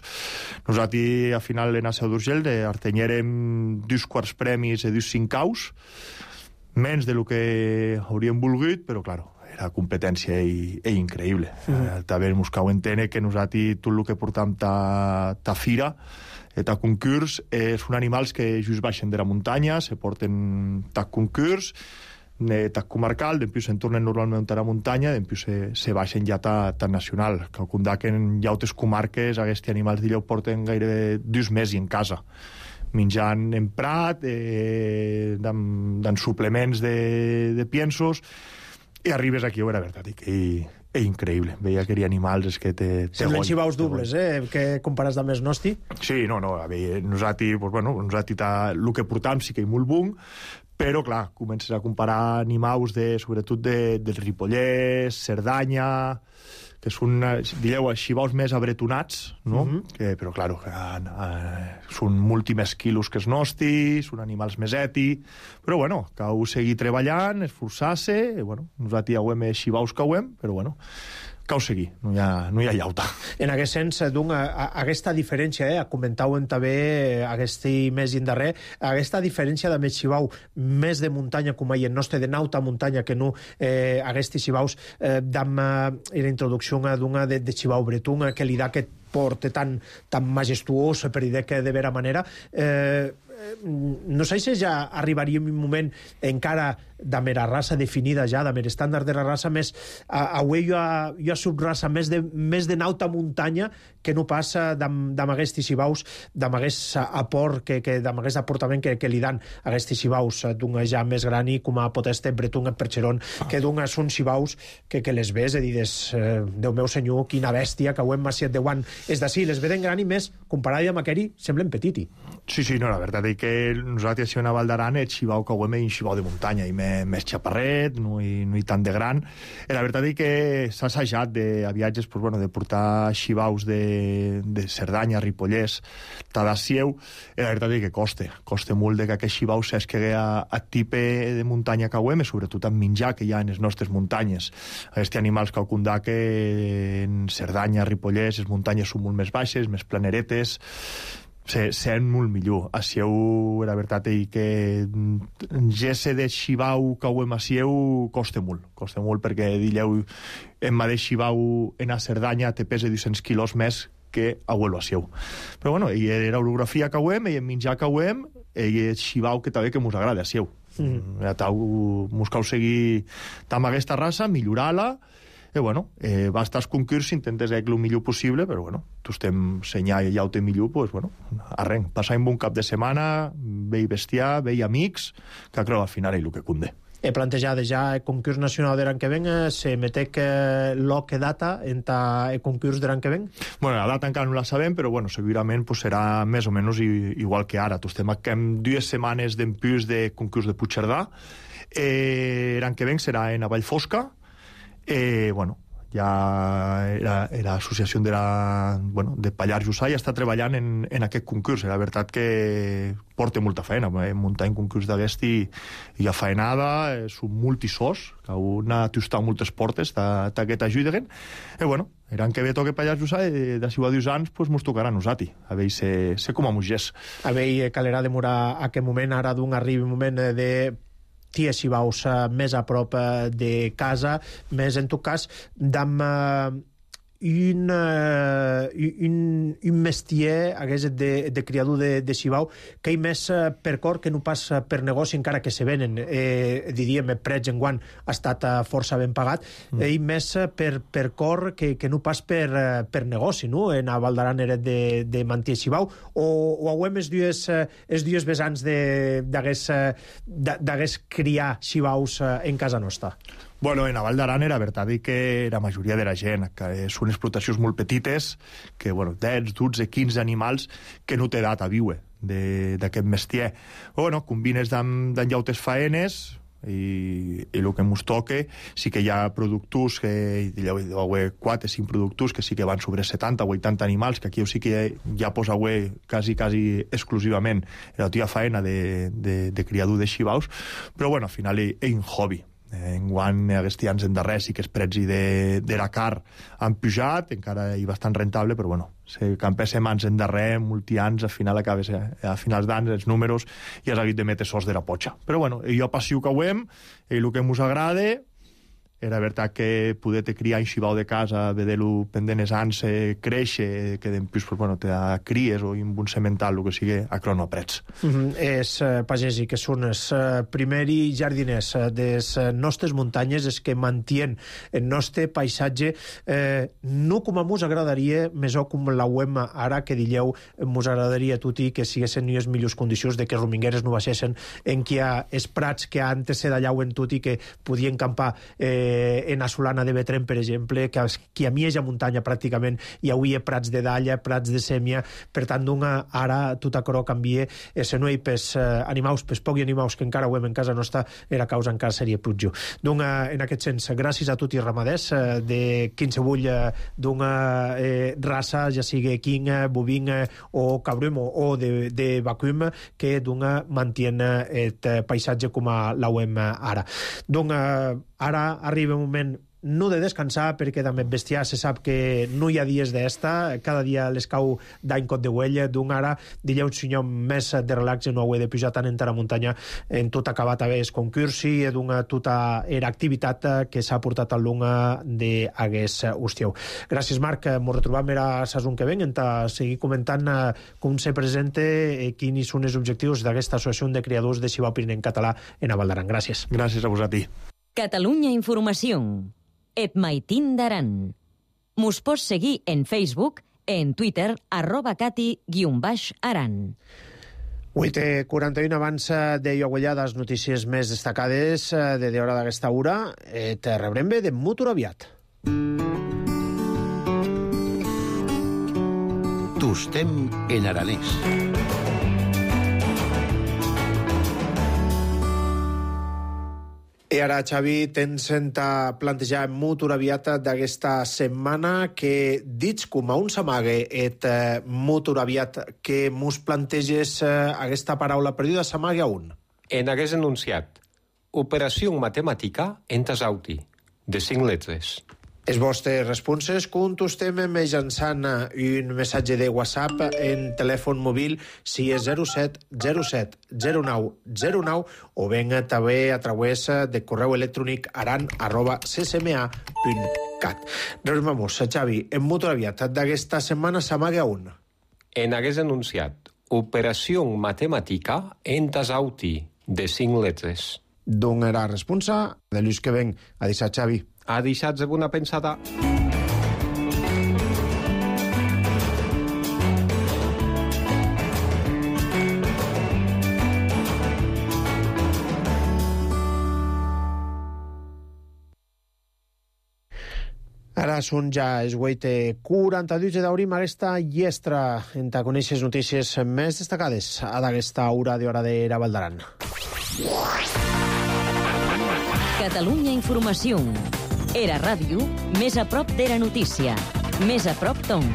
Nosaltres, al final, en la Seu d'Urgell, artenyérem dos quarts premis i dos cincaus, menys de lo que hauríem volgut, però, claro, era competència i, i increïble. Mm. Eh, també mos cau entendre que nosaltres tot el que portam ta, ta fira, ta concurs, eh, són animals que just baixen de la muntanya, se porten ta concurs, eh, ta comarcal, després se'n tornen normalment a la muntanya, després se, se baixen ja ta, ta nacional. Calcundar que en llautes comarques aquests animals d'allò porten gairebé dos mesos en casa, menjant en prat, eh, dan suplements de, de piensos, i arribes aquí, oh, era veritat, i és increïble. Veia que hi ha animals és que te... Semblen xivaus dobles, eh? Que compares amb els nostres? Sí, no, no. A veure, nosaltres, pues, bueno, nosaltres el que portam sí que hi molt bon, però, clar, comences a comparar animals, de, sobretot de, del Ripollès, Cerdanya, que són, dieu, xivaus més abretonats, no? Mm-hmm. que, però, clar, eh, eh, són molt més quilos que els nostres, són animals més eti, però, bueno, cal seguir treballant, esforçar-se, i, bueno, nosaltres ja ho hem xivaus que ho hem, però, bueno, cal seguir, no hi ha, no hi ha llauta. En aquest sens, doncs, aquesta diferència, eh, comentàvem també aquest mes i en darrer, aquesta diferència de més xivau més de muntanya, com hi ha nostre, de nauta muntanya, que no eh, aquests xivaus eh, d'am eh, la introducció d'una de, de xivau bretun, que li da aquest port tan, tan majestuós, per dir que de vera manera, eh, no sé si ja arribaríem un moment encara de mera raça definida ja, de mera estàndard de la raça, més avui hi ha, hi ha subraça més de, més de nauta muntanya que no passa d'amb aquests xivaus, d'amb aquest aport, que, que, d'amb aquest aportament que, que li dan aquests xivaus d'un ja més gran i com a poteste bretun en perxeron, que d'un són xivaus que, que les ves i dius, eh, Déu meu senyor, quina bèstia, que ho hem maciat de guant. És d'ací, les veden gran i més, comparat amb aquell, semblen petiti. Sí, sí, no, la veritat és que nosaltres si a Val d'Aran el xivau que ho hem és un xivau de muntanya i més, més xaparret, no hi, no hi tant de gran. I la veritat és que s'ha assajat de, a viatges pues, bueno, de portar xivaus de, de Cerdanya, Ripollès, Tadassieu, i la veritat és que costa. Costa molt de que aquest xivau s'esquegui a, a tipe de muntanya que ho hem, sobretot amb menjar que hi ha en les nostres muntanyes. Aquests animals que condà que en Cerdanya, Ripollès, les muntanyes són molt més baixes, més planeretes, se sent molt millor. A Sieu, la veritat és que gesse de xivau que ho hem a Sieu costa molt. Costa molt perquè, dilleu, en mateix xivau en a Cerdanya te pesa dos-cents quilos més que a huelo a Sieu. Però bueno, i era orografia que ho hem, i en menjar que ho hem, i el xivau que també que mos agrada a Sieu. Mm. Ja mos cal seguir amb aquesta raça, millorar-la, i bueno, eh, va estar als concurs, intentes fer el millor possible, però bueno, tu estem senyar i ja ho té millor, doncs bueno, arrenc, passar un bon cap de setmana, vei bestiar, vei amics, que creu al final és el que condé. He plantejat ja el concurs nacional de l'any que ven, se metec lo que data en el concurs de l'any que ven? Bueno, la data encara no la sabem, però bueno, segurament pues, serà més o menys igual que ara. Tu estem amb dues setmanes d'empús de concurs de Puigcerdà, eh, l'any que ven serà en a Vallfosca. Eh, bueno, ja era, era l'associació de, la, bueno, de Pallars Jussà i està treballant en, en aquest concurs. La veritat que porta molta feina, eh? Muntar un concurs d'aquest i, i a faenada, eh, són multisós, que una t'ho moltes portes d'aquest ajuden, i bueno, l'any que ve toca Pallars Jussà i d'ací a dos anys pues, mos tocarà a nosaltres, a veure se, se com a mugers. A veure, calerà demorar a aquest moment, ara d'un arribi un moment de tia si vaus més a prop de casa, més en tot cas d'amb un, un, un mestier hagués de, de criador de, de xivau que hi més per cor que no pas per negoci, encara que se venen eh, diríem, prets en guant ha estat força ben pagat, mm. i més per, per cor que, que no pas per, per negoci, no? En a Val d'Aran era de, de mantir xivau o, o hauem els dies, els dies vessants d'hagués criar xivaus en casa nostra? Bueno, en a Val d'Aran era veritat que la majoria de la gent, que són explotacions molt petites, que, bueno, deu, dotze, quinze animals que no té edat a viure d'aquest mestier. Bueno, combines d'en llautes faenes i, i el que ens toca, sí que hi ha productors, que hi ha quatre o cinc productors que sí que van sobre setanta o vuitanta animals, que aquí sí que ja posa quasi, quasi exclusivament la tia faena de, de, de criador de xivaus, però bueno, al final és un hobby. Enguany, aquests anys endarrers sí que els preus de, de la car han pujat, encara hi bastant rentable, però bueno, si campéssim anys endarrer, molti anys, al final acabes, a finals d'anys, els números, i has hagut de metre sos de la potxa. Però bueno, jo passiu que ho hem, i el que ens agrada, era veritat que poder te criar en xibau de casa, veure-lo pendent els anys créixer, que després pues, bueno, te cries o en un semental, el que sigui, a crono aprets. Mm -hmm. És uh, pagès i que són els uh, primers jardiners uh, de les uh, nostres muntanyes, és que mantien el nostre paisatge, eh, no com a mos agradaria, més o com la U E M ara, que dilleu, mos agradaria a tutti que siguessin en les millors condicions, de que els romingueres no baixessin, en que hi ha els prats que antes se dallauen tot i que podien campar eh, en a Solana de Betrem, per exemple, que, que a Mieja muntanya pràcticament hi hauria prats de dalla, prats de sèmia, per tant, doncs, ara tot això canvia, se no hi pes eh, animals, pes pocs animals que encara ho hem en casa nostra, era causa encara seria plutjor. Doncs, eh, en aquest sens, gràcies a tots i ramaders eh, de qualsevol eh, eh, raça, ja sigui equín, bovín eh, o cabrum o, o de, de vacum, que doncs, mantiene el paisatge com a la U E M ara. Doncs, eh, ara arriba un moment no de descansar, perquè amb el bestiar se sap que no hi ha dies d'esta, cada dia les cau d'any cot de huella, d'un ara dilla un senyor més de relax i no ho he de pujar tant en la muntanya, en tot acabat a veure concursi, i d'una tota era activitat que s'ha portat al lunga d'aguest hostieu. Gràcies, Marc, m'ho retrobam era sason que ven, en seguir comentant com se presenta, quins són els objectius d'aquesta associació de criadors de xibau pirinenc català en Val d'Aran. Gràcies. Gràcies a vosaltres. Catalunya Informació. Et Maitín d'Aran. Mos pots seguir en Facebook, en Twitter, arroba cati guion baix aran. vuit i quaranta-u abans de Ioguellades, notícies més destacades de d'hora d'aquesta hora. Et rebrem bé de molt aviat. Tostem en aranès. I ara, Xavi, tens a plantejar molt aviat d'aquesta setmana que, dits com a un s'amague, et eh, molt aviat que mos planteges eh, aquesta paraula perduda, s'amague a un. En hagués enunciat operació matemàtica en tasauti, de cinc lletres. Els vostres responses contestem mitjançant un missatge de WhatsApp en telèfon mòbil si és zero set zero set zero nou zero nou o ben també a través de correu electrònic aran arroba c c m a punt cat. Doncs vamos, Xavi, en molt aviat d'aquesta setmana s'amaga un. En hagués enunciat operació matemàtica en tasauti, de cinc lletres. D'on era la responsa? De l'ús que ven a deixar, Xavi. Ha deixat de bona pensada. Ara són ja els vuit i quaranta-dos i d'obrim aquesta llestra en ta conèixer les notícies més destacades a d'aquesta hora d'hora de la Val d'Aran. Catalunya Informació. Era ràdio, més a prop de la notícia. Més a prop d'on.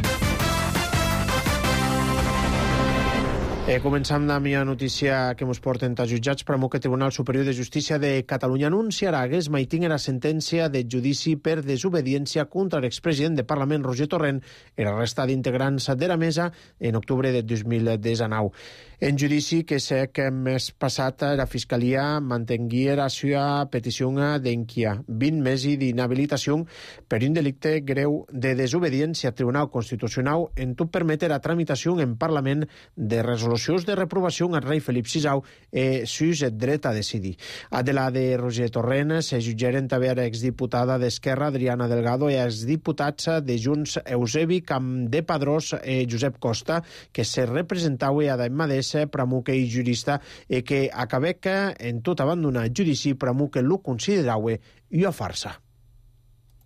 Eh, començam amb la notícia que ens porten els jutjats per que el Tribunal Superior de Justícia de Catalunya anunciarà que es maitinga la sentència de judici per desobediència contra l'expresident de Parlament Roger Torrent i la resta d'integrants de la mesa en octubre de dos mil dinou. En judici que sé que més passat la Fiscalia mantengué la seva petició d'enquia vint mesos d'inhabilitació per un delicte greu de desobediència al Tribunal Constitucional en tot permetre la tramitació en Parlament de resolucions de reprovació al rei Felip sisau e sus el dret a decidir. A de la de Roger Torrent se jutgeren també a l'exdiputada d'Esquerra Adriana Delgado i a exdiputats de Junts Eusebi Campdepadrós e Josep Costa, que se representava a Daimades pramuque i jurista e que acabec en tot abandonar judici pramuque lo considerava una farsa.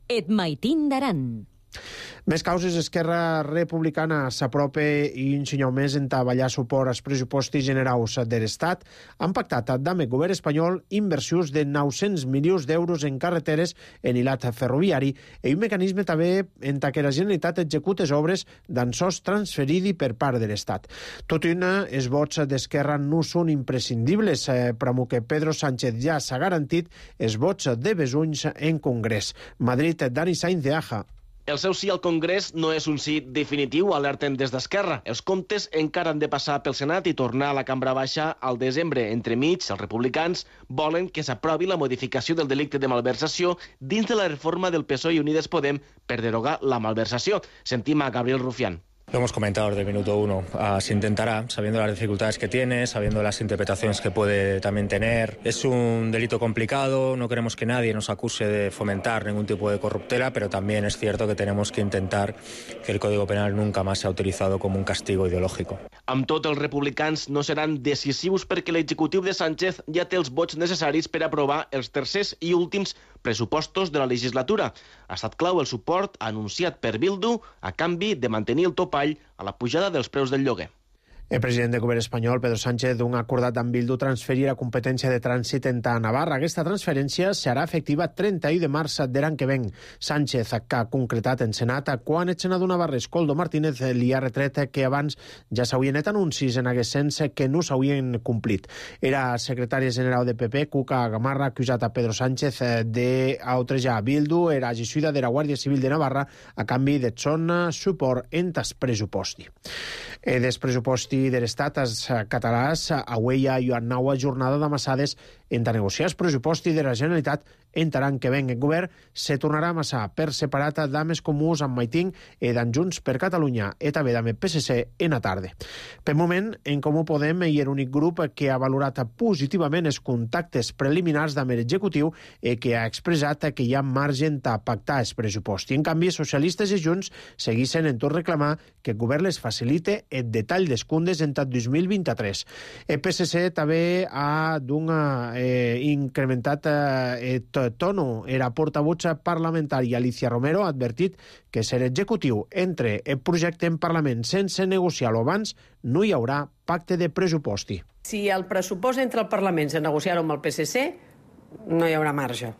Et Maitín d'Aran. Més causes. Esquerra Republicana s'apropa i un senyal més en treballar suport als pressupostos generals de l'Estat. Han pactat amb el govern espanyol inversions de nou-cents milions d'euros en carreteres en hilat ferroviari i un mecanisme també en què la Generalitat executa les obres d'ansos transferidi per part de l'Estat. Tot i una, els vots d'Esquerra no són imprescindibles, eh, però que Pedro Sánchez ja s'ha garantit els vots de Besunys en Congrés. Madrid, Dani Sainz de Aja. El seu sí al Congrés no és un sí definitiu, alerten des d'Esquerra. Els comptes encara han de passar pel Senat i tornar a la cambra baixa al desembre. Entremig, els republicans volen que s'aprovi la modificació del delicte de malversació dins de la reforma del P S O E i Unides Podem per derogar la malversació. Sentim a Gabriel Rufián. Lo hemos comentado desde el minuto uno. Uh, se intentará, sabiendo las dificultades que tiene, sabiendo las interpretaciones que puede también tener. Es un delito complicado, no queremos que nadie nos acuse de fomentar ningún tipo de corruptela, pero también es cierto que tenemos que intentar que el Código Penal nunca más sea utilizado como un castigo ideológico. Amb tot, els republicans no seran decisius perquè l'executiu de Sánchez ja té els vots necessaris per aprovar els tercers i últims pressupostos de la legislatura. Ha estat clau el suport anunciat per Bildu a canvi de mantenir el topall a la pujada dels preus del lloguer. El president del govern espanyol, Pedro Sánchez, un acordat amb Bildu transferir la competència de trànsit entre Navarra. Aquesta transferència serà efectiva trenta-u de març de l'any que ven. Sánchez, que ha concretat en Senat, quan el senador navarrès Koldo Martínez li ha retret que abans ja s'havien fet anuncis en aquest sens que no s'havien complit. Era secretari general de P P, Cuca Gamarra, acusat a Pedro Sánchez d'outrejar Bildu, era gessuida de la Guàrdia Civil de Navarra a canvi de son suport en tas pressuposti. Eh, des pressuposti de l'Estat, els catalans, avui hi ha una nova jornada d'amassades entre negociar els pressupostos de la Generalitat entre l'any que ven. El govern se tornarà a amassar per separat d'Ames Comuns amb Maitín i d'en Junts per Catalunya i també d'Ame P S C en la tarda. Per moment, en Comú Podem hi ha l'únic grup que ha valorat positivament els contactes preliminars d'Ame l'executiu i que ha expressat que hi ha marge de pactar els pressupostos. En canvi, socialistes i Junts segueixen en tot reclamar que el govern les facilite el detall dels comptes en tot dos mil vint-i-tres. El P S C també ha d'una eh, incrementat eh, tono. Era portavoz parlamentari Alicia Romero ha advertit que ser executiu entre el projecte en Parlament sense negociar-lo abans no hi haurà pacte de pressuposti. Si el pressupost entre el Parlament se negociar-ho amb el P S C, no hi haurà marge.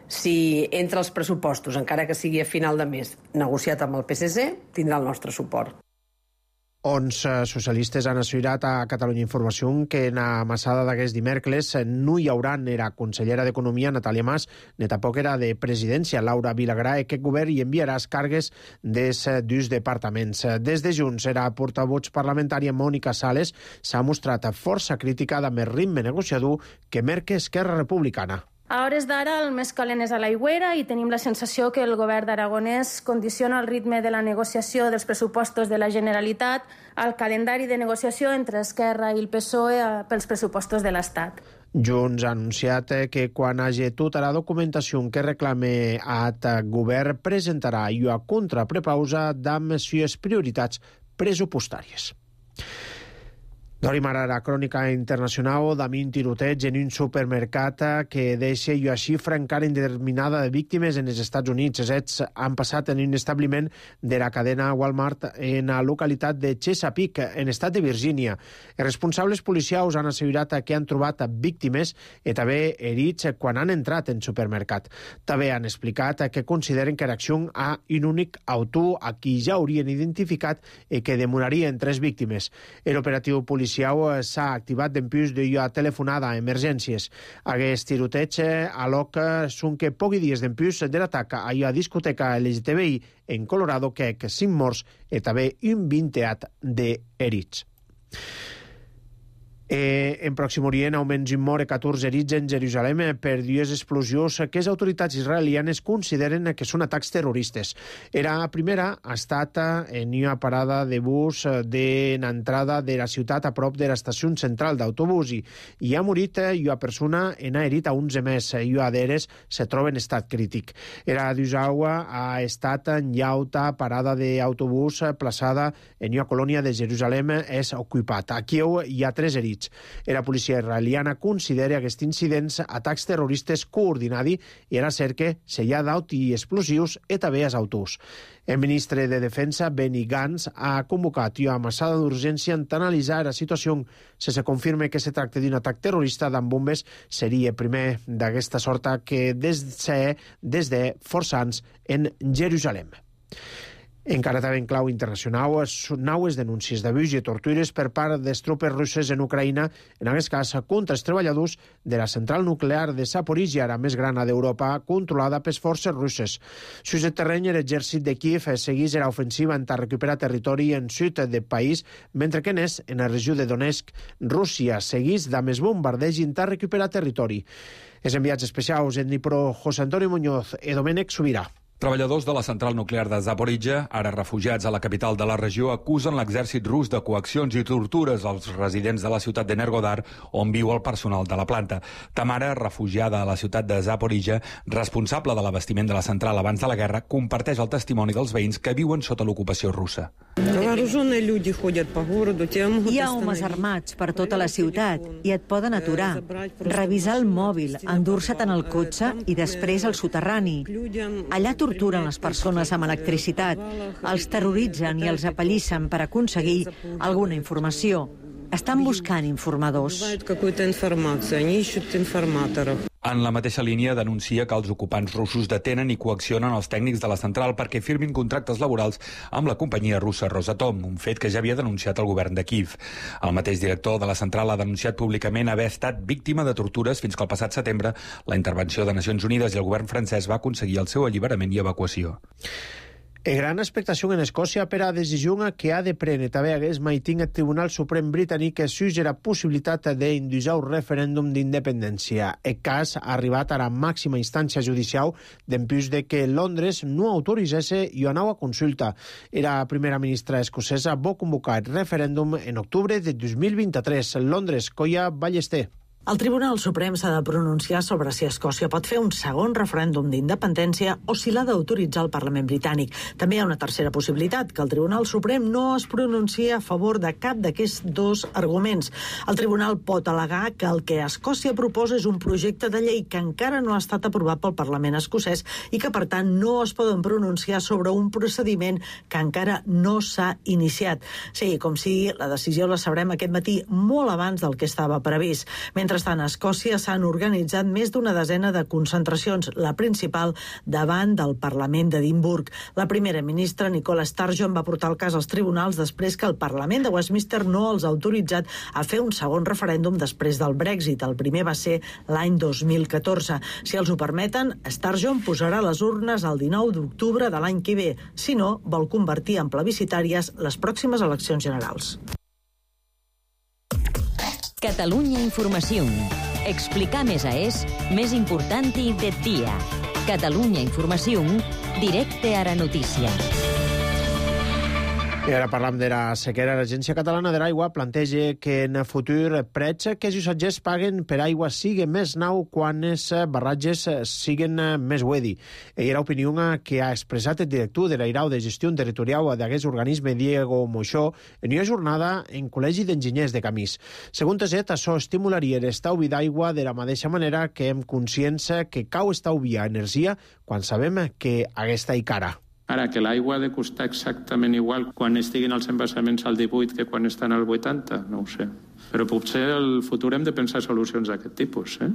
Si entre els pressupostos, encara que sigui a final de mes, negociat amb el P S C, tindrà el nostre suport. Onze socialistes han assegurat a Catalunya Informació que en la massada d'aquest dimecres no hi haurà ni la consellera d'Economia, Natàlia Mas, ni tampoc era de Presidència, Laura Vilagrà, i que el govern hi enviarà els càrregues des dos departaments. Des de Junts, era portavoz parlamentària Mònica Sales, s'ha mostrat força crítica de més ritme negociador que merca Esquerra Republicana. A hores d'ara el més calent és a l'aigüera i tenim la sensació que el govern d'Aragonès condiciona el ritme de la negociació dels pressupostos de la Generalitat al calendari de negociació entre Esquerra i el P S O E pels pressupostos de l'Estat. Junts ha anunciat que quan hagi tota la documentació que reclame at govern presentarà una contraprepausa d'amb les prioritats pressupostàries. Dorim ara la crònica internacional amb un tiroteig en un supermercat que deixa una xifra encara indeterminada de víctimes en els Estats Units. Els fets han passat en un establiment de la cadena Walmart en la localitat de Chesapeake, en estat de Virgínia. Els responsables policials han assegurat que han trobat víctimes i també herits quan han entrat en supermercat. També han explicat que consideren que l'acció ha un únic autor a qui ja haurien identificat i que demorarien tres víctimes. L'operatiu policial s'ha activat d'empús d'una telefonada a emergències. Aquest tiroteig aloc són que pocs dies d'empús de l'atac a una discoteca L G T B I en Colorado que ha cinc morts i també un vinteat d'herits. Eh, en Pròxim Orient, almenys un mort i catorze herits en Jerusalem per dues explosions que les autoritats israelianes consideren que són atacs terroristes. Era la primera ha estat en una parada de bus de l'entrada de la ciutat a prop de l'estació central d'autobús i hi ha morit una persona en ha herit a onze més i una d'elles se troba en estat crític. Era d'Usawa ha estat en llauta parada d'autobús plaçada en una colònia de Jerusalem és ocupat. Aquí hi ha tres herits. ferits. La policia israeliana considera aquests incidents atacs terroristes coordinats i era cerca sellar d'aut i explosius e també als autors. El ministre de Defensa, Benny Gantz, ha convocat una amassada d'urgència en analitzar la situació. Si se confirma que se tracta d'un atac terrorista amb bombes, seria el primer d'aquesta sorta que des de, des de força anys en Jerusalem. Encara també en clau internacional, naues denúncies d'abús i tortures per part de les tropes russes en Ucraïna, en aquest cas contra els treballadors de la central nuclear de Zaporizhia, la més gran d'Europa, controlada per forces russes. Sus el terreny, l'exèrcit de Kiev segueix l'ofensiva en recuperar territori en sud del país, mentre que n'és, en la regió de Donetsk, Rússia segueix de més bombardeig en recuperar territori. Els enviats especials en Dnipro, José Antonio Muñoz i Domènec Subirà. Treballadors de la central nuclear de Zaporizhia, ara refugiats a la capital de la regió, acusen l'exèrcit rus de coaccions i tortures als residents de la ciutat de Nergodar, on viu el personal de la planta. Tamara, refugiada a la ciutat de Zaporizhia, responsable de l'abastiment de la central abans de la guerra, comparteix el testimoni dels veïns que viuen sota l'ocupació russa. Hi ha homes armats per tota la ciutat i et poden aturar, revisar el mòbil, endur-se-te'n al cotxe i després al soterrani. Allà torturen les persones amb electricitat, els terroritzen i els apallissen per aconseguir alguna informació. Estan buscant informadors. En la mateixa línia denuncia que els ocupants russos detenen i coaccionen els tècnics de la central perquè firmin contractes laborals amb la companyia russa Rosatom, un fet que ja havia denunciat el govern de Kiev. El mateix director de la central ha denunciat públicament haver estat víctima de tortures fins que el passat setembre la intervenció de Nacions Unides i el govern francès va aconseguir el seu alliberament i evacuació. E gran expectació en Escòcia per a la decisió que ha de prendre també hagués maiting el Tribunal Suprem britànic sus la possibilitat d'induir un referèndum d'independència. El cas ha arribat a la màxima instància judicial d'empús de que Londres no autoritzés una nova consulta. La primera ministra escocesa va convocar el referèndum en octubre de dos mil vint-i-tres. Londres, Coia Ballester. El Tribunal Suprem s'ha de pronunciar sobre si Escòcia pot fer un segon referèndum d'independència o si l'ha d'autoritzar el Parlament britànic. També hi ha una tercera possibilitat, que el Tribunal Suprem no es pronuncia a favor de cap d'aquests dos arguments. El Tribunal pot al·legar que el que Escòcia proposa és un projecte de llei que encara no ha estat aprovat pel Parlament escocès i que, per tant, no es poden pronunciar sobre un procediment que encara no s'ha iniciat. Sí, com si la decisió la sabrem aquest matí molt abans del que estava previst. Mentre Mentrestant, a Escòcia s'han organitzat més d'una desena de concentracions, la principal davant del Parlament d'Edimburg. La primera ministra, Nicola Sturgeon, va portar el cas als tribunals després que el Parlament de Westminster no els ha autoritzat a fer un segon referèndum després del Brexit. El primer va ser l'any dos mil catorze. Si els ho permeten, Sturgeon posarà les urnes el dinou d'octubre de l'any que ve. Si no, vol convertir en plebiscitàries les pròximes eleccions generals. Catalunya Informació. Explicar més a és més important i de dia. Catalunya Informació, directe a la notícia. I ara parlam de la sequera. L'Agència Catalana de l'Aigua planteja que en el futur prets que els usatgers paguen per aigua siguen més nau quan els barratges siguen més wedi. I era l'opinió que ha expressat el director de l'Airau de Gestió Territorial d'aquest organisme, Diego Moixó, en una jornada en Col·legi d'Enginyers de Camís. Segons aquest, això estimularia l'estalvi d'aigua de la mateixa manera que hem conscients que cau estalviar energia quan sabem que aquesta hi cara. Ara, que l'aigua ha de costar exactament igual quan estiguin els embassaments al divuit que quan estan al vuitanta, no ho sé. Però potser al futur hem de pensar solucions d'aquest tipus, eh?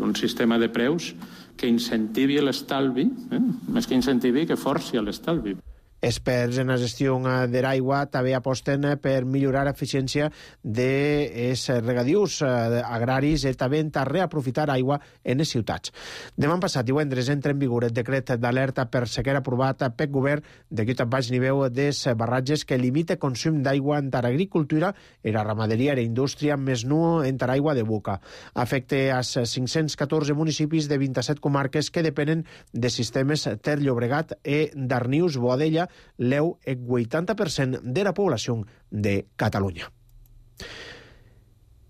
Un sistema de preus que incentivi l'estalvi, eh? Més que incentivi, que forci l'estalvi. Experts en la gestió de l'aigua també aposten per millorar l'eficiència dels regadius agraris i també a reaprofitar aigua en les ciutats. Demà passat, divendres, entra en vigor el decret d'alerta per sequera aprovat pel govern de lluita a baix nivell dels barratges que limita consum d'aigua en l'agricultura i la ramaderia i la indústria, més no en l'aigua de boca. Afecta als cinc-cents catorze municipis de vint-i-set comarques que depenen de sistemes Ter Llobregat i Darnius Boadella, l'eu el vuitanta per cent de la població de Catalunya.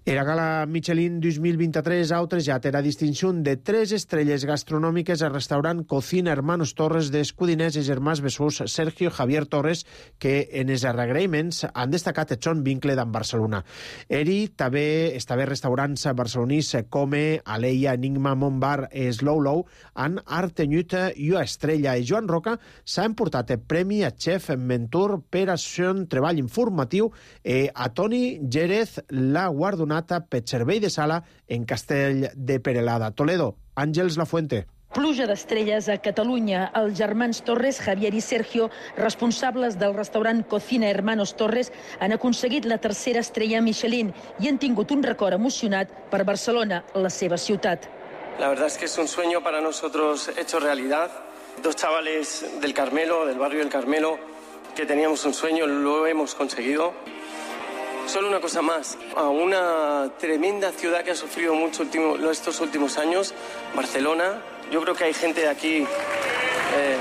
Era gala Michelin dos mil vint-i-tres ha otorgat la distinció de tres estrelles gastronòmiques al restaurant Cocina Hermanos Torres d'Escudiners i germans Besús Sergio Javier Torres, que en els agraïments han destacat el son vincle d'en Barcelona. Eri també estava restaurants barcelonís com Aleia, Enigma, Montbar, Slow Low han artenyut i una estrella. I Joan Roca s'ha emportat el premi a xef mentor per a son treball informatiu i a Toni Jerez la guardonat per servei de sala en Castell de Perelada. Toledo, Àngels Lafuente. Pluja d'estrelles a Catalunya. Els germans Torres, Javier i Sergio, responsables del restaurant Cocina Hermanos Torres, han aconseguit la tercera estrella Michelin i han tingut un record emocionat per Barcelona, la seva ciutat. La verdad es que es un sueño para nosotros hecho realidad. Dos chavales del Carmelo, del barrio del Carmelo, que teníamos un sueño, lo hemos conseguido. Solo una cosa más, a una tremenda ciudad que ha sufrido mucho último, estos últimos años, Barcelona. Yo creo que hay gente de aquí... Eh...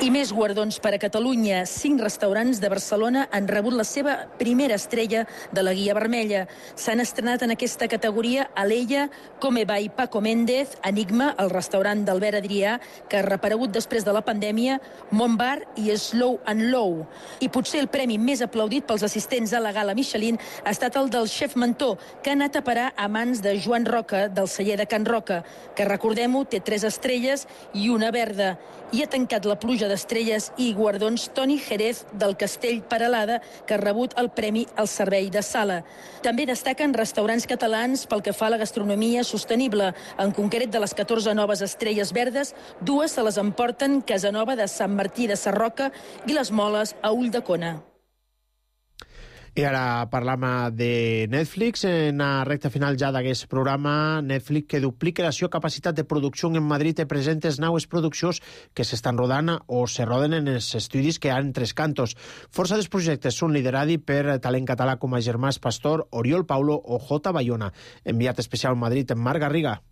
I més guardons per a Catalunya. Cinc restaurants de Barcelona han rebut la seva primera estrella de la Guia Vermella. S'han estrenat en aquesta categoria Aleia, Come by Paco Méndez, Enigma, el restaurant d'Albert Adrià, que ha reaparegut després de la pandèmia, Montbar i Slow and Low. I potser el premi més aplaudit pels assistents a la gala Michelin ha estat el del xef mentor, que ha anat a parar a mans de Joan Roca, del celler de Can Roca, que, recordem-ho, té tres estrelles i una verda. I ha tancat la pluja d'estrelles i guardons Toni Jerez del Castell Perelada, que ha rebut el premi al servei de sala. També destaquen restaurants catalans pel que fa a la gastronomia sostenible. En concret, de les catorze noves estrelles verdes, dues se les emporten Casanova de Sant Martí de Sarroca i les Moles a Ulldecona. I ara parlam de Netflix. En la recta final ja d'aquest programa, Netflix, que duplica la seva capacitat de producció en Madrid, i presenta les noves produccions que s'estan rodant o se roden en els estudis que hi ha en Tres Cantos. Força dels projectes són liderats per talent català com a Germans Pastor, Oriol Paulo o J. Bayona. Enviat especial a Madrid, Marc Garriga.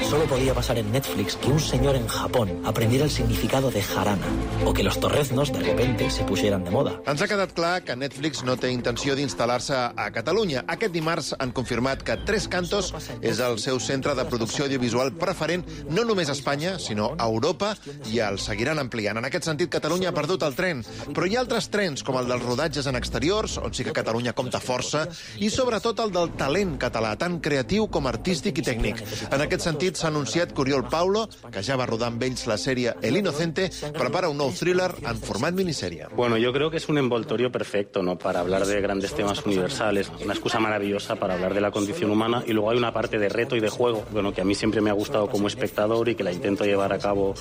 Solo podía pasar en Netflix que un señor en Japón aprendiera el significado de jarana o que los torreznos de repente se pusieran de moda. Ens ha quedat clar que Netflix no té intenció d'instal·lar-se a Catalunya. Aquest dimarts han confirmat que Tres Cantos és el seu centre de producció audiovisual preferent no només a Espanya, sinó a Europa, i el seguiran ampliant. En aquest sentit, Catalunya ha perdut el tren, però hi ha altres trens, com el dels rodatges en exteriors, on sí que Catalunya compta força, i sobretot el del talent català, tant creatiu com artístic i tècnic. En aquest sentit, s'ha anunciat que Oriol Paulo, que ja va rodar amb ells la sèrie El Inocente, prepara un nou thriller en format miniserie. Bueno, yo creo que es un envoltorio perfecto, ¿no?, para hablar de grandes temas universales, una excusa maravillosa para hablar de la condición humana, y luego hay una parte de reto y de juego, bueno, que a mí siempre me ha gustado como espectador y que la intento llevar a cabo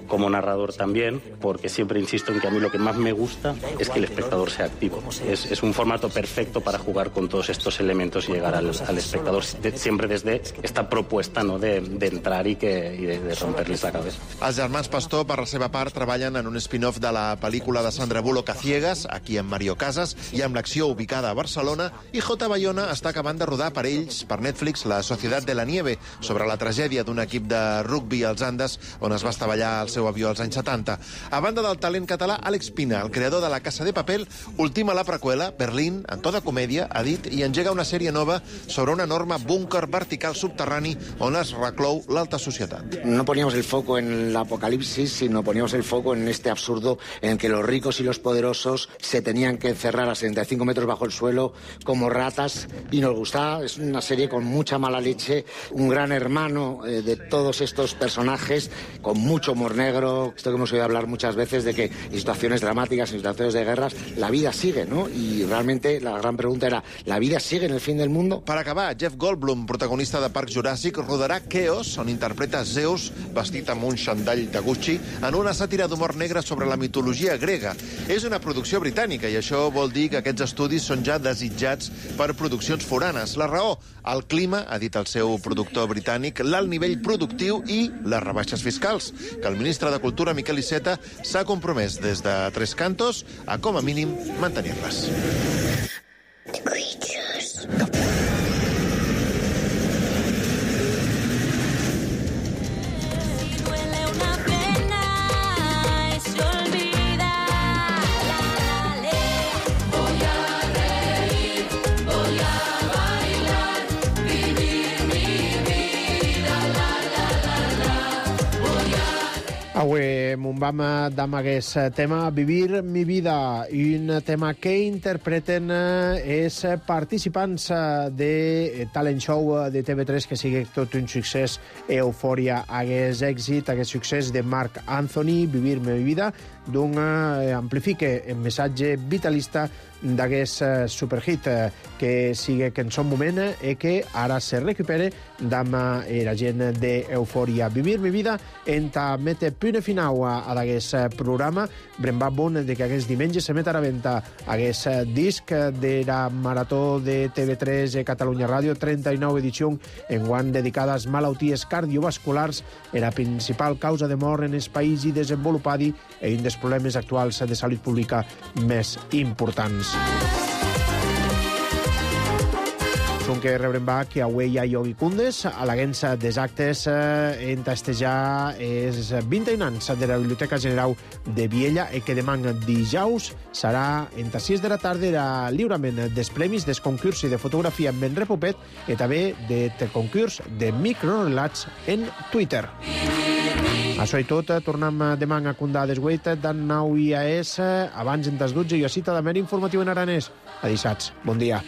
como narrador también, porque siempre insisto en que a mí lo que más me gusta es que el espectador sea activo. Es, es un formato perfecto para jugar con todos estos elementos y llegar al, al espectador, de, siempre desde esta propuesta, ¿no?, de, de entrar i, que, i de, de romper-les la cabeza. Els germans Pastor, per la seva part, treballen en un spin-off de la pel·lícula de Sandra Bullock a Ciegas, aquí amb Mario Casas, i amb l'acció ubicada a Barcelona, i J. Bayona està acabant de rodar per ells, per Netflix, La Societat de la Nieve, sobre la tragèdia d'un equip de rugby als Andes, on es va estavellar el seu avió als anys setanta. A banda del talent català, Àlex Pina, el creador de La Casa de Papel, ultima la preqüela, Berlín, en to de comèdia, ha dit, i engega una sèrie nova sobre un enorme búnquer vertical subterrani on es reclou l'alta sociedad. No poníamos el foco en el apocalipsis, sino poníamos el foco en este absurdo en que los ricos y los poderosos se tenían que encerrar a setenta y cinco metros bajo el suelo como ratas, y nos gustaba. Es una serie con mucha mala leche, un gran hermano eh, de todos estos personajes, con mucho humor negro. Esto que hemos oído hablar muchas veces de que en situaciones dramáticas, en situaciones de guerras, la vida sigue, ¿no? Y realmente la gran pregunta era, ¿la vida sigue en el fin del mundo? Per acabar, Jeff Goldblum, protagonista de Parc Juràssic, rodarà Chaos, on interpreta Zeus, vestit amb un xandall de Gucci, en una sàtira d'humor negre sobre la mitologia grega. És una producció britànica i això vol dir que aquests estudis són ja desitjats per produccions foranes. La raó, el clima, ha dit el seu productor britànic, l'alt nivell productiu i les rebaixes fiscals, que el ministre de Cultura, Miquel Iceta, s'ha compromès des de Tres Cantos a, com a mínim, mantenir-les. Voy a reír Avui m'ho vam amb aquest tema Vivir mi vida, un tema que interpreten els participants de talent show de T V tres que sigui tot un succés, eufòria, hagués èxit, hagués succés de Marc Anthony, Vivir mi vida, d'un amplifique el missatge vitalista d'aquest superhit que sigue que en son moment i que ara se recupere amb la gent d'Eufòria. Vivir mi vida enta mete punt final a d'aquest programa. Brembat bon de que aquest diumenge se met a la venda aquest disc de la Marató de T V tres i Catalunya Ràdio, trenta-nou edició enguany dedicada a malalties cardiovasculars, la principal causa de mort en els països desenvolupats i un dels problemes actuals de salut pública més importants. Són que rebrem va que avui hi ha Yogi Kundes a l'agència dels actes eh, en tastejar els vint i un anys de la Biblioteca General de Viella i que demà dijous serà entre sis de la tarda el lliurament dels premis dels concurs de fotografia en Ben Repopet i també del concurs de microrelats en Twitter. Això i tot, tornem demà a Condà des vuit, d'en nou I A S, abans en des dotze i a cita de mer informatiu en aranès. A dissats. Bon dia.